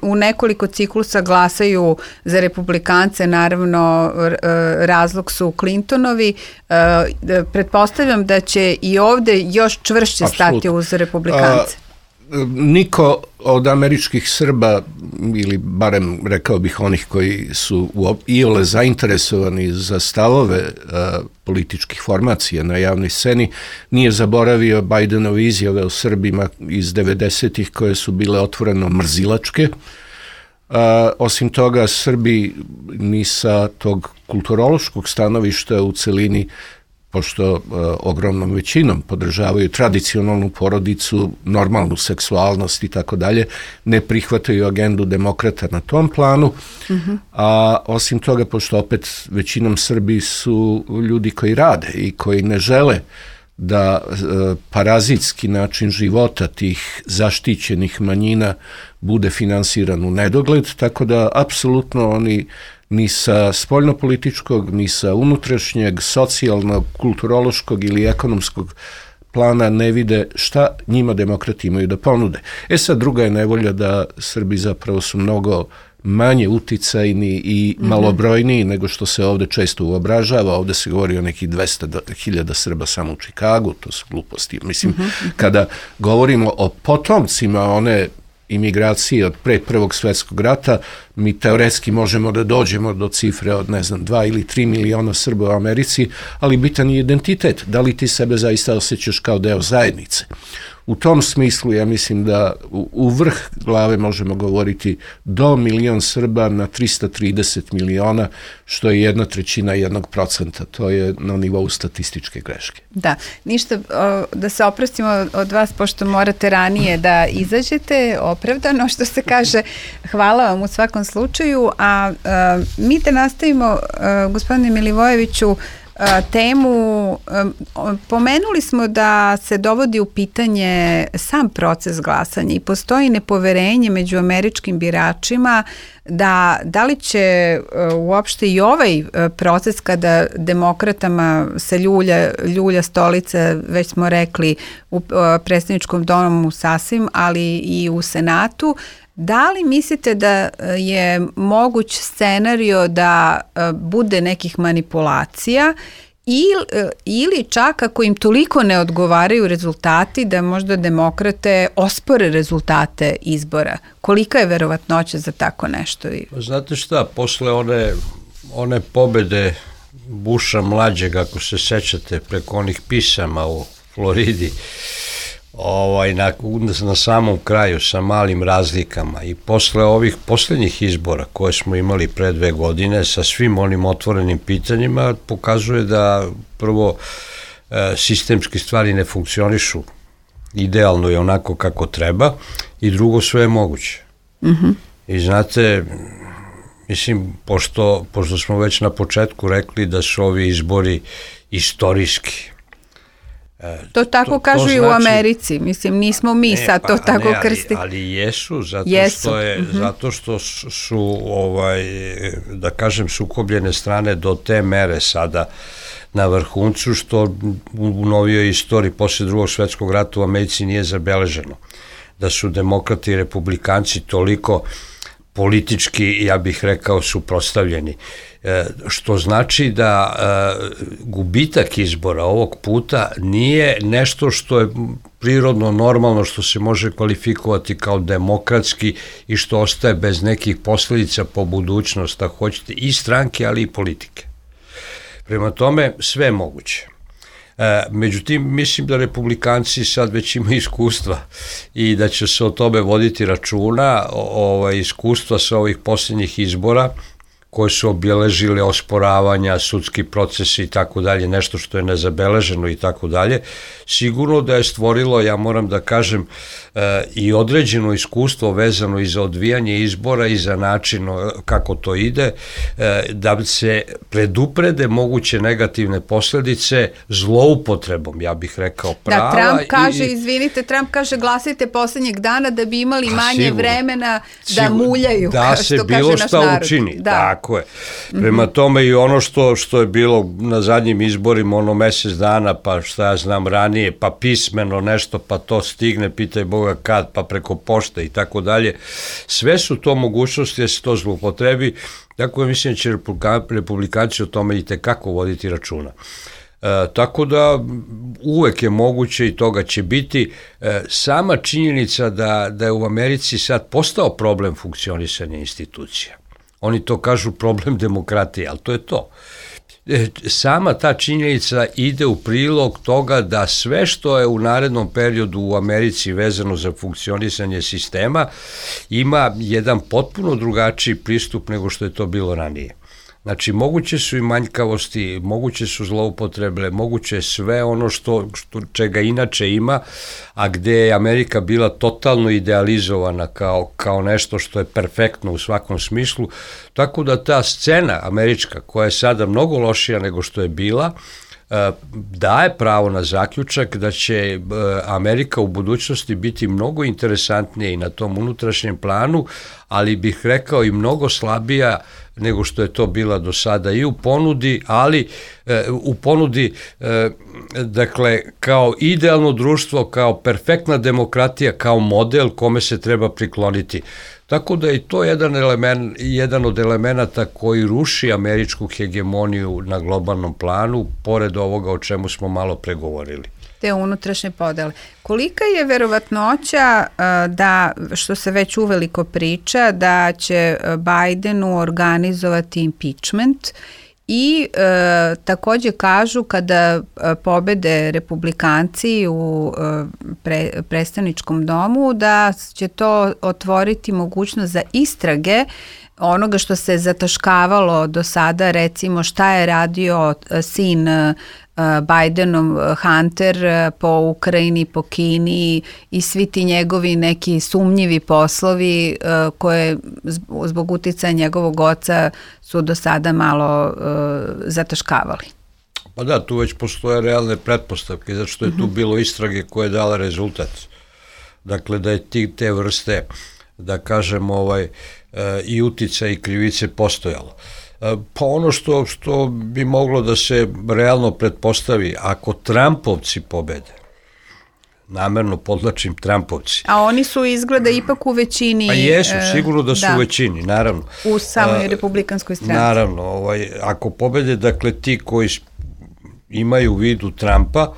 u nekoliko ciklusa glasaju za republikance, naravno razlog su Clintonovi, pretpostavljam da će i ovde još čvršće Absolut. stati uz republikance. A... Niko od američkih Srba, ili barem rekao bih onih koji su iole zainteresovani za stavove a, političkih formacija na javnoj sceni, nije zaboravio Bidenove izjave o Srbima iz devedesetih koje su bile otvoreno mrzilačke. A, osim toga, Srbi ni sa tog kulturološkog stanovišta u celini, pošto uh, ogromnom većinom podržavaju tradicionalnu porodicu, normalnu seksualnost i tako dalje, ne prihvataju agendu demokrata na tom planu, uh-huh. a osim toga, pošto opet većinom Srbi su ljudi koji rade i koji ne žele da uh, parazitski način života tih zaštićenih manjina bude finansiran u nedogled, tako da apsolutno oni ni sa spoljnopolitičkog, ni sa unutrašnjeg, socijalnog, kulturološkog ili ekonomskog plana ne vide šta njima demokrati imaju da ponude. E sad, druga je nevolja da Srbi zapravo su mnogo manje uticajni i malobrojniji nego što se ovde često uobražava. Ovde se govori o nekih dvesta hiljada Srba samo u Čikagu, to su gluposti. Mislim, kada govorimo o potomcima one imigracije od pre Prvog svjetskog rata, mi teoretski možemo da dođemo do cifre od, ne znam, dva ili tri miliona Srba u Americi, ali bitan je identitet. Da li ti sebe zaista osjećaš kao deo zajednice? U tom smislu ja mislim da u, u vrh glave možemo govoriti do milion Srba na trista trideset miliona, što je jedna trećina jednog procenta. To je na nivou statističke greške. Da, ništa, o, da se oprostimo od vas, pošto morate ranije da izađete, opravdano, što se kaže. Hvala vam u svakom slučaju, a, a mi te nastavimo, a, gospodine Milivojeviću, temu, pomenuli smo da se dovodi u pitanje sam proces glasanja i postoji nepoverenje među američkim biračima da da li će uopšte i ovaj proces kada demokratama se ljulja, ljulja stolica, već smo rekli u predstavničkom domu sasvim, ali i u Senatu, da li mislite da je moguć scenario da bude nekih manipulacija ili, ili čak ako im toliko ne odgovaraju rezultati da možda demokrate ospore rezultate izbora? Kolika je verovatnoća za tako nešto? Znate šta, posle one, one pobede Busha mlađeg, ako se sećate, preko onih pisama u Floridi, Ovaj, na, na samom kraju sa malim razlikama i posle ovih posljednjih izbora koje smo imali pre dve godine sa svim onim otvorenim pitanjima pokazuje da prvo e, sistemski stvari ne funkcionišu idealno i onako kako treba i drugo sve je moguće. Mm-hmm. I znate, mislim, pošto, pošto smo već na početku rekli da su ovi izbori istorijski, To tako to, kažu to i znači, u Americi, mislim, nismo mi ne, sad to pa, tako ne, krsti. Ali, ali jesu, zato jesu. što je, mm-hmm. zato što su, ovaj, da kažem, sukobljene strane do te mere sada na vrhuncu, što u novijoj istoriji posle Drugog svjetskog rata u Americi nije zabeleženo. Da su demokrati i republikanci toliko politički, ja bih rekao, suprotstavljeni. E, što znači da e, gubitak izbora ovog puta nije nešto što je prirodno normalno, što se može kvalifikovati kao demokratski i što ostaje bez nekih posljedica po budućnost, ako hoćete, i stranke, ali i politike. Prema tome, sve je moguće. E, međutim, mislim da republikanci sad već imaju iskustva i da će se o tome voditi računa, o, o, iskustva sa ovih posljednjih izbora, koje su obeležile osporavanja, sudski procesi i tako dalje, nešto što je nezabeleženo i tako dalje, sigurno da je stvorilo, ja moram da kažem, i određeno iskustvo vezano i za odvijanje izbora i za način kako to ide, da se preduprede moguće negativne posljedice zloupotrebom, ja bih rekao, prava. Da, Trump kaže, i, izvinite, Trump kaže glasajte poslednjeg dana da bi imali manje sigurno, vremena da sigurno, muljaju, da što se kaže bilo naš šta narod. Učini, da. Tako je. Prema mm-hmm. tome i ono što, što je bilo na zadnjim izborima, ono mesec dana, pa šta ja znam ranije, pa pismeno nešto, pa to stigne, pitaj Boga kad, pa preko pošte i tako dalje. Sve su to mogućnosti da se to zloupotrebi, tako da mislim da će republikanci o tome i tekako voditi računa. E, tako da uvek je moguće i toga će biti. E, sama činjenica da, da je u Americi sad postao problem funkcionisanja institucija. Oni to kažu problem demokratije, ali to je to. E, sama ta činjenica ide u prilog toga da sve što je u narednom periodu u Americi vezano za funkcionisanje sistema ima jedan potpuno drugačiji pristup nego što je to bilo ranije. Znači, moguće su i manjkavosti, moguće su zloupotrebe, moguće je sve ono što, što čega inače ima, a gde je Amerika bila totalno idealizovana kao, kao nešto što je perfektno u svakom smislu, tako da ta scena američka, koja je sada mnogo lošija nego što je bila, daje pravo na zaključak da će Amerika u budućnosti biti mnogo interesantnija i na tom unutrašnjem planu, ali bih rekao i mnogo slabija nego što je to bila do sada i u ponudi, ali u ponudi, dakle, kao idealno društvo, kao perfektna demokratija, kao model kome se treba prikloniti. Tako da je to jedan, element, jedan od elemenata koji ruši američku hegemoniju na globalnom planu, pored ovoga o čemu smo malo pregovorili. Te unutrašnje podele. Kolika je verovatnoća da, što se već uveliko priča, da će Bidenu organizovati impeachment i e, takođe kažu kada pobede republikanci u e, pre, predstavničkom domu da će to otvoriti mogućnost za istrage onoga što se zataškavalo do sada, recimo šta je radio sin Bidenov Hunter po Ukrajini, po Kini i svi ti njegovi neki sumnjivi poslovi koje zbog uticaja njegovog oca su do sada malo uh, zataškavali. Pa da, tu već postoje realne pretpostavke, zato što je tu bilo istrage koje je dala rezultat. Dakle, da je ti, te vrste, da kažem, ovaj, i utica i krivice postojalo. Pa ono što, što bi moglo da se realno pretpostavi, ako Trumpovci pobede, namerno podlačim Trumpovci. A oni su izgleda ipak u većini. Pa jesu, sigurno da su da. u većini, naravno. U samoj republikanskoj stranci. Naravno, ovaj, ako pobede, dakle, ti koji imaju u vidu Trumpa,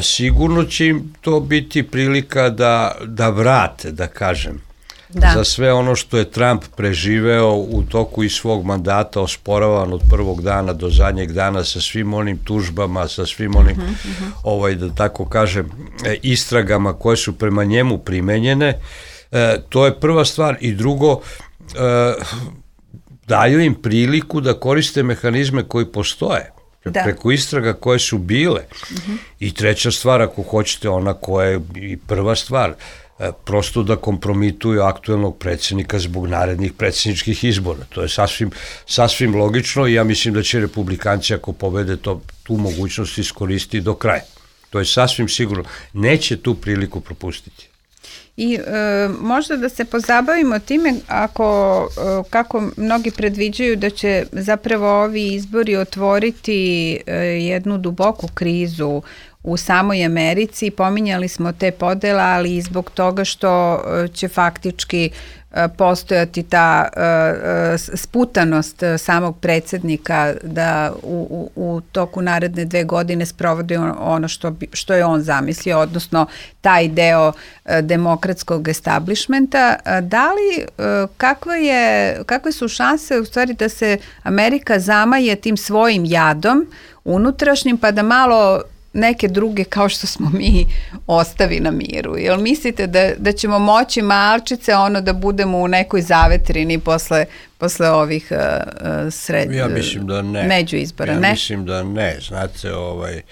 sigurno će im to biti prilika da, da vrate, da kažem. Da. Za sve ono što je Trump preživeo u toku i svog mandata, osporavan od prvog dana do zadnjeg dana sa svim onim tužbama, sa svim onim, uh-huh, uh-huh. ovaj, da tako kažem, istragama koje su prema njemu primenjene. E, to je prva stvar. I drugo, e, daju im priliku da koriste mehanizme koji postoje. Da. Preko istraga koje su bile. Uh-huh. I treća stvar, ako hoćete, ona koja je i prva stvar, prosto da kompromituju aktuelnog predsjednika zbog narednih predsjedničkih izbora. To je sasvim, sasvim logično i ja mislim da će republikanci, ako pobede, to, tu mogućnost iskoristiti do kraja. To je sasvim sigurno. Neće tu priliku propustiti. I e, možda da se pozabavimo time ako, e, kako mnogi predviđaju da će zapravo ovi izbori otvoriti e, jednu duboku krizu u samoj Americi. Pominjali smo te podela, ali i zbog toga što će faktički postojati ta sputanost samog predsjednika da u, u, u toku naredne dve godine sprovodi ono što, bi, što je on zamislio, odnosno taj deo demokratskog establishmenta. Da li, kakve, je, kakve su šanse u stvari da se Amerika zamaje tim svojim jadom unutrašnjim pa da malo neke druge kao što smo mi ostavi na miru? Jel mislite da, da ćemo moći malčice ono da budemo u nekoj zavetrini posle, posle ovih uh, sred, ja mislim da ne. među izbora? Ja ne? mislim da ne. Znate, ovaj,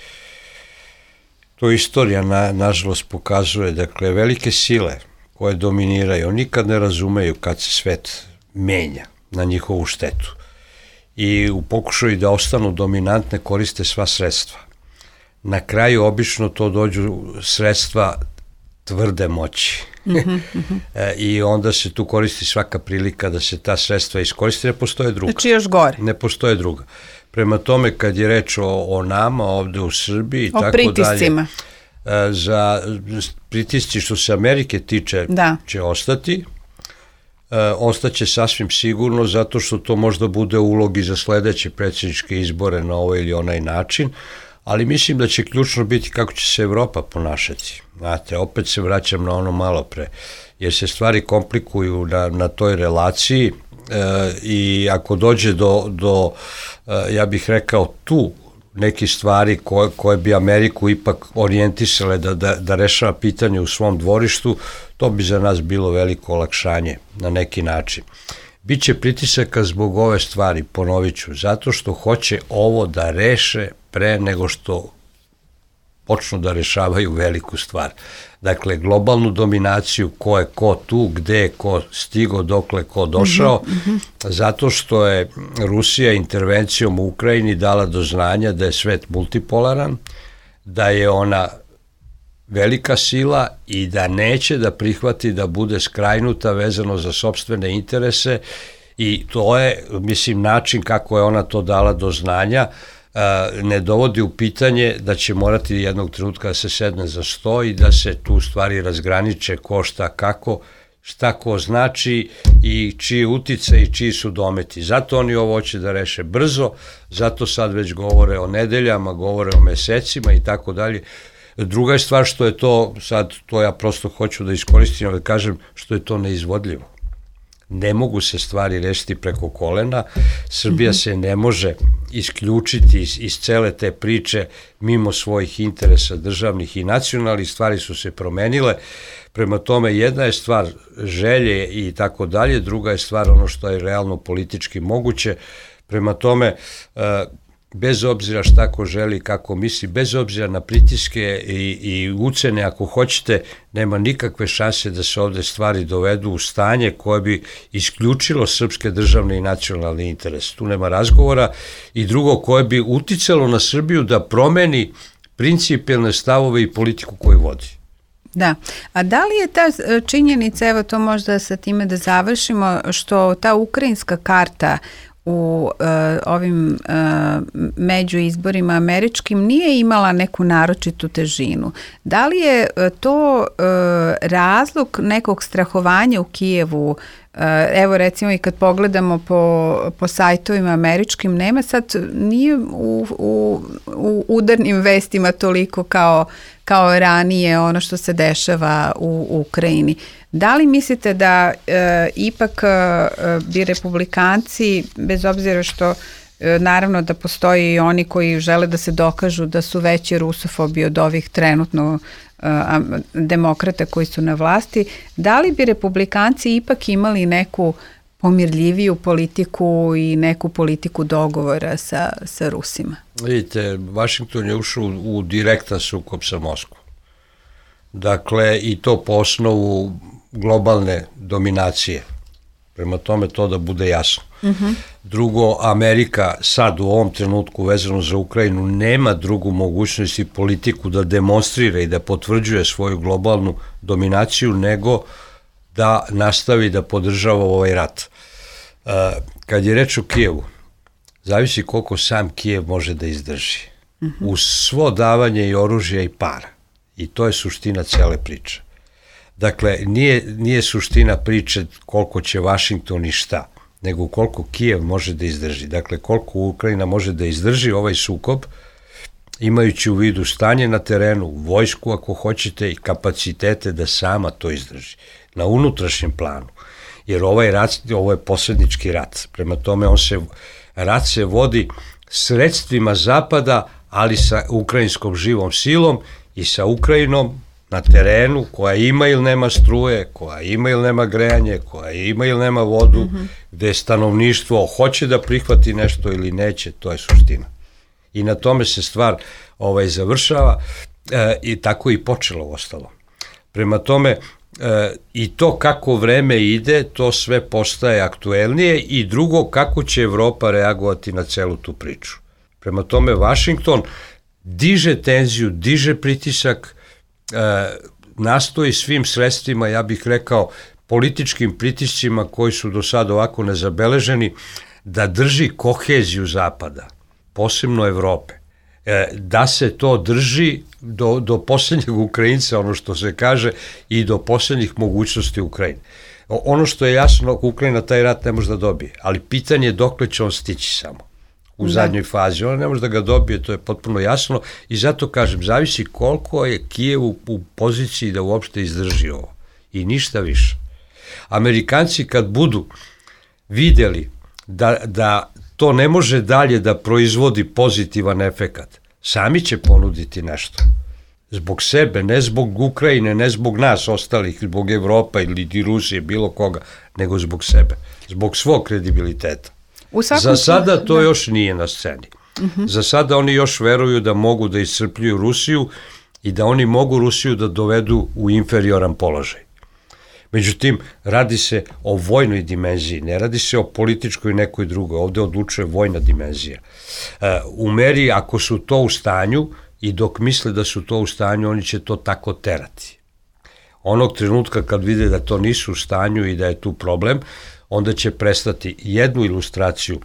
to istorija na, nažalost pokazuje, dakle, velike sile koje dominiraju, nikad ne razumeju kad se svet menja na njihovu štetu. I u pokušaju da ostanu dominantne koriste sva sredstva. Na kraju obično to dođu sredstva tvrde moći. Mm-hmm, mm-hmm. e, I onda se tu koristi svaka prilika da se ta sredstva iskoristi, ne postoje druga. Znači još gore. Ne postoje druga. Prema tome, kad je reč o, o nama ovde u Srbiji, o tako pritiscima. Dalje, e, za pritisci što se Amerike tiče da. će ostati. E, ostaće sasvim sigurno zato što to možda bude ulogi za sledeće predsjedničke izbore na ovaj ili onaj način, ali mislim da će ključno biti kako će se Evropa ponašati. Znate, opet se vraćam na ono malo pre, jer se stvari komplikuju na, na toj relaciji e, i ako dođe do, do e, ja bih rekao tu neki stvari koje, koje bi Ameriku ipak orijentisale da, da, da rešava pitanje u svom dvorištu, to bi za nas bilo veliko olakšanje na neki način. Biće pritisaka zbog ove stvari, ponovit ću, zato što hoće ovo da reše pre nego što počnu da rešavaju veliku stvar. Dakle, globalnu dominaciju, ko je ko tu, gde je ko stigo, dokle ko došao, mm-hmm. zato što je Rusija intervencijom u Ukrajini dala do znanja da je svet multipolaran, da je ona velika sila i da neće da prihvati da bude skrajnuta vezano za sopstvene interese i to je, mislim, način kako je ona to dala do znanja, ne dovodi u pitanje da će morati jednog trenutka da se sedne za sto i da se tu stvari razgraniče ko šta kako, šta ko znači i čiji utice i čiji su dometi. Zato oni ovo hoće da reše brzo, zato sad već govore o nedeljama, govore o mesecima i tako dalje. Druga je stvar što je to, sad to ja prosto hoću da iskoristim, ali kažem što je to neizvodljivo. Ne mogu se stvari rešiti preko kolena, Srbija mm-hmm. se ne može isključiti iz, iz cele te priče mimo svojih interesa državnih i nacionalnih, stvari su se promenile, prema tome jedna je stvar želje i tako dalje, druga je stvar ono što je realno politički moguće, prema tome bez obzira šta ko želi, kako misli, bez obzira na pritiske i, i ucene, ako hoćete, nema nikakve šanse da se ovde stvari dovedu u stanje koje bi isključilo srpske državne i nacionalne interese. Tu nema razgovora. I drugo, koje bi uticalo na Srbiju da promeni principijelne stavove i politiku koju vodi. Da, a da li je ta činjenica, evo to možda sa time da završimo, što ta ukrajinska karta u uh, ovim uh, među izborima američkim nije imala neku naročitu težinu. Da li je uh, to uh, razlog nekog strahovanja u Kijevu? Uh, evo recimo i kad pogledamo po, po sajtovima američkim, nema sad, nije u, u, u udarnim vestima toliko kao, kao ranije ono što se dešava u, u Ukrajini. Da li mislite da e, ipak e, bi republikanci, bez obzira što e, naravno da postoji i oni koji žele da se dokažu da su veći rusofobi od ovih trenutno e, demokrata koji su na vlasti, da li bi republikanci ipak imali neku pomirljiviju politiku i neku politiku dogovora sa, sa Rusima? Vidite, Vašington je ušao u, u direktan sukob sa Moskvom. Dakle, i to po osnovu globalne dominacije. Prema tome to da bude jasno. Uh-huh. Drugo, Amerika sad u ovom trenutku vezano za Ukrajinu nema drugu mogućnost i politiku da demonstrira i da potvrđuje svoju globalnu dominaciju nego da nastavi da podržava ovaj rat. Uh, kad je reč o Kijevu, zavisi koliko sam Kijev može da izdrži. Uh-huh. Uz svo davanje i oružja i para. I to je suština cele priče. Dakle, nije, nije suština priče koliko će Vašington i šta, nego koliko Kijev može da izdrži. Dakle, koliko Ukrajina može da izdrži ovaj sukob, imajući u vidu stanje na terenu, vojsku ako hoćete i kapacitete da sama to izdrži. Na unutrašnjem planu. Jer ovaj rat, ovo je posrednički rat. Prema tome, on se, rat se vodi sredstvima Zapada, ali sa ukrajinskom živom silom i sa Ukrajinom na terenu koja ima ili nema struje, koja ima ili nema grejanje, koja ima ili nema vodu, mm-hmm. gde stanovništvo hoće da prihvati nešto ili neće, to je suština. I na tome se stvar ovaj, završava e, i tako i počelo ostalo. Prema tome, e, i to kako vreme ide, to sve postaje aktuelnije i drugo, kako će Evropa reagovati na celu tu priču. Prema tome, Vašington diže tenziju, diže pritisak, e, nastoji svim sredstvima, ja bih rekao, političkim pritiscima koji su do sada ovako nezabeleženi, da drži koheziju Zapada, posebno Evrope. E, da se to drži do, do posljednjeg Ukrajinca, ono što se kaže, i do posljednjih mogućnosti Ukrajine. Ono što je jasno, Ukrajina taj rat ne može da dobije, ali pitanje je dokle će on stići samo u da. zadnjoj fazi. Ona ne može da ga dobije, to je potpuno jasno i zato kažem, zavisi koliko je Kijev u, u poziciji da uopšte izdrži ovo i ništa više. Amerikanci kad budu vidjeli da, da to ne može dalje da proizvodi pozitivan efekat, sami će ponuditi nešto. Zbog sebe, ne zbog Ukrajine, ne zbog nas ostalih, zbog Evropa ili Rusije, bilo koga, nego zbog sebe, zbog svog kredibiliteta. Za sada to da. još nije na sceni. Uh-huh. Za sada oni još veruju da mogu da iscrpljuju Rusiju i da oni mogu Rusiju da dovedu u inferioran položaj. Međutim, radi se o vojnoj dimenziji, ne radi se o političkoj nekoj drugoj, ovde odlučuje vojna dimenzija. U meri, ako su to u stanju i dok misle da su to u stanju, oni će to tako terati. Onog trenutka kad vide da to nisu u stanju i da je tu problem, onda će prestati jednu ilustraciju.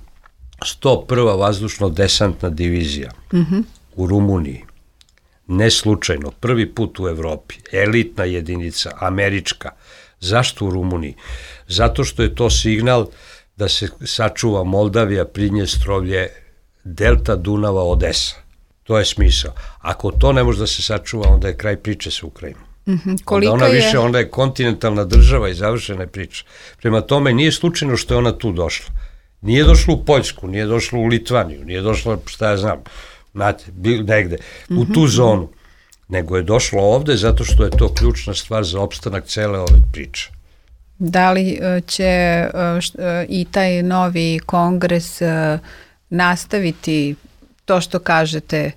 sto prva vazdušno-desantna divizija mm-hmm. u Rumuniji, ne slučajno, prvi put u Evropi, elitna jedinica, američka. Zašto u Rumuniji? Zato što je to signal da se sačuva Moldavija, Pridnjestrovlje, delta Dunava, Odesa. To je smisao. Ako to ne može da se sačuva, onda je kraj priče sa Ukrajinom. Mm-hmm. Onda ona je... više, onda je kontinentalna država i završena je priča. Prema tome, nije slučajno što je ona tu došla. Nije došla u Poljsku, nije došla u Litvaniju, nije došla, šta ja znam, znate, negde, mm-hmm. u tu zonu. Nego je došlo ovde zato što je to ključna stvar za opstanak cele ove priče. Da li će i taj novi kongres nastaviti to što kažete,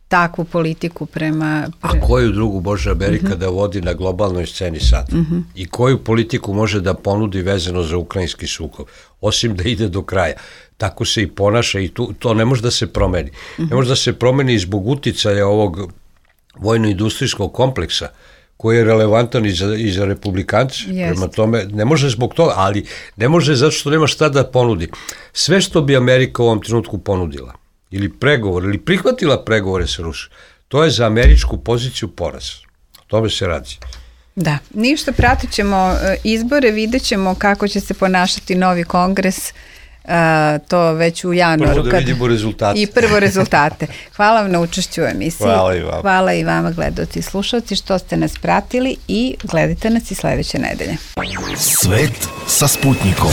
takvu politiku prema... A koju drugu može Amerika uh-huh. da vodi na globalnoj sceni sad? Uh-huh. I koju politiku može da ponudi vezano za ukrajinski sukob? Osim da ide do kraja. Tako se i ponaša i tu, to ne može da se promeni. Uh-huh. Ne može da se promeni zbog uticaja ovog vojno-industrijskog kompleksa koji je relevantan i za, i za republikance. Yes. Prema tome, ne može zbog toga, ali ne može zato što nema šta da ponudi. Sve što bi Amerika u ovom trenutku ponudila, ili pregovor, ili prihvatila pregovore sa Rusijom, to je za američku poziciju poraz. O tome se radi. Da, ništa, pratit ćemo izbore, vidjet ćemo kako će se ponašati novi kongres, uh, to već u januaru. Prvo da vidimo rezultate. I prvo rezultate. Hvala vam na učešću u emisiji. Hvala i vama. Hvala i vama, gledaoci i slušalci, što ste nas pratili i gledajte nas i sledeće nedelje. Svet sa Sputnikom.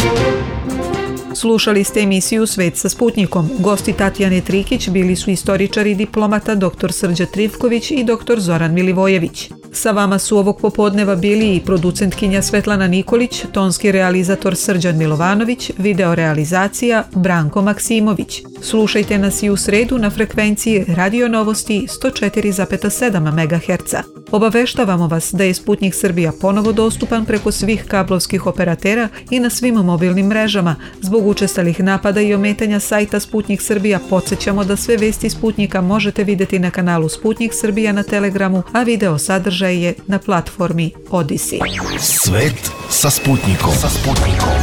Slušali ste emisiju Svet sa Sputnikom. Gosti Tatjane Trikić bili su istoričar i diplomata doktor Srđa Trivković i doktor Zoran Milivojević. Sa vama su ovog popodneva bili i producentkinja Svetlana Nikolić, tonski realizator Srđan Milovanović, videorealizacija Branko Maksimović. Slušajte nas i u sredu na frekvenciji Radio Novosti sto četiri zarez sedam megaherca. Obaveštavamo vas da je Sputnik Srbija ponovo dostupan preko svih kablovskih operatera i na svim mobilnim mrežama. Zbog učestalih napada i ometanja sajta Sputnik Srbija podsjećamo da sve vesti Sputnika možete vidjeti na kanalu Sputnik Srbija na Telegramu, a video sadržaj je na platformi Odisi. Svet sa Sputnikom. Sa Sputnikom.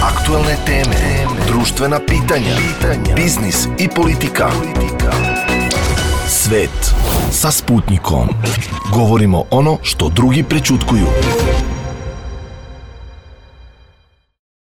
Aktualne teme, društvena pitanja, biznis i politika. Svet sa Sputnikom. Govorimo ono što drugi prećutkuju.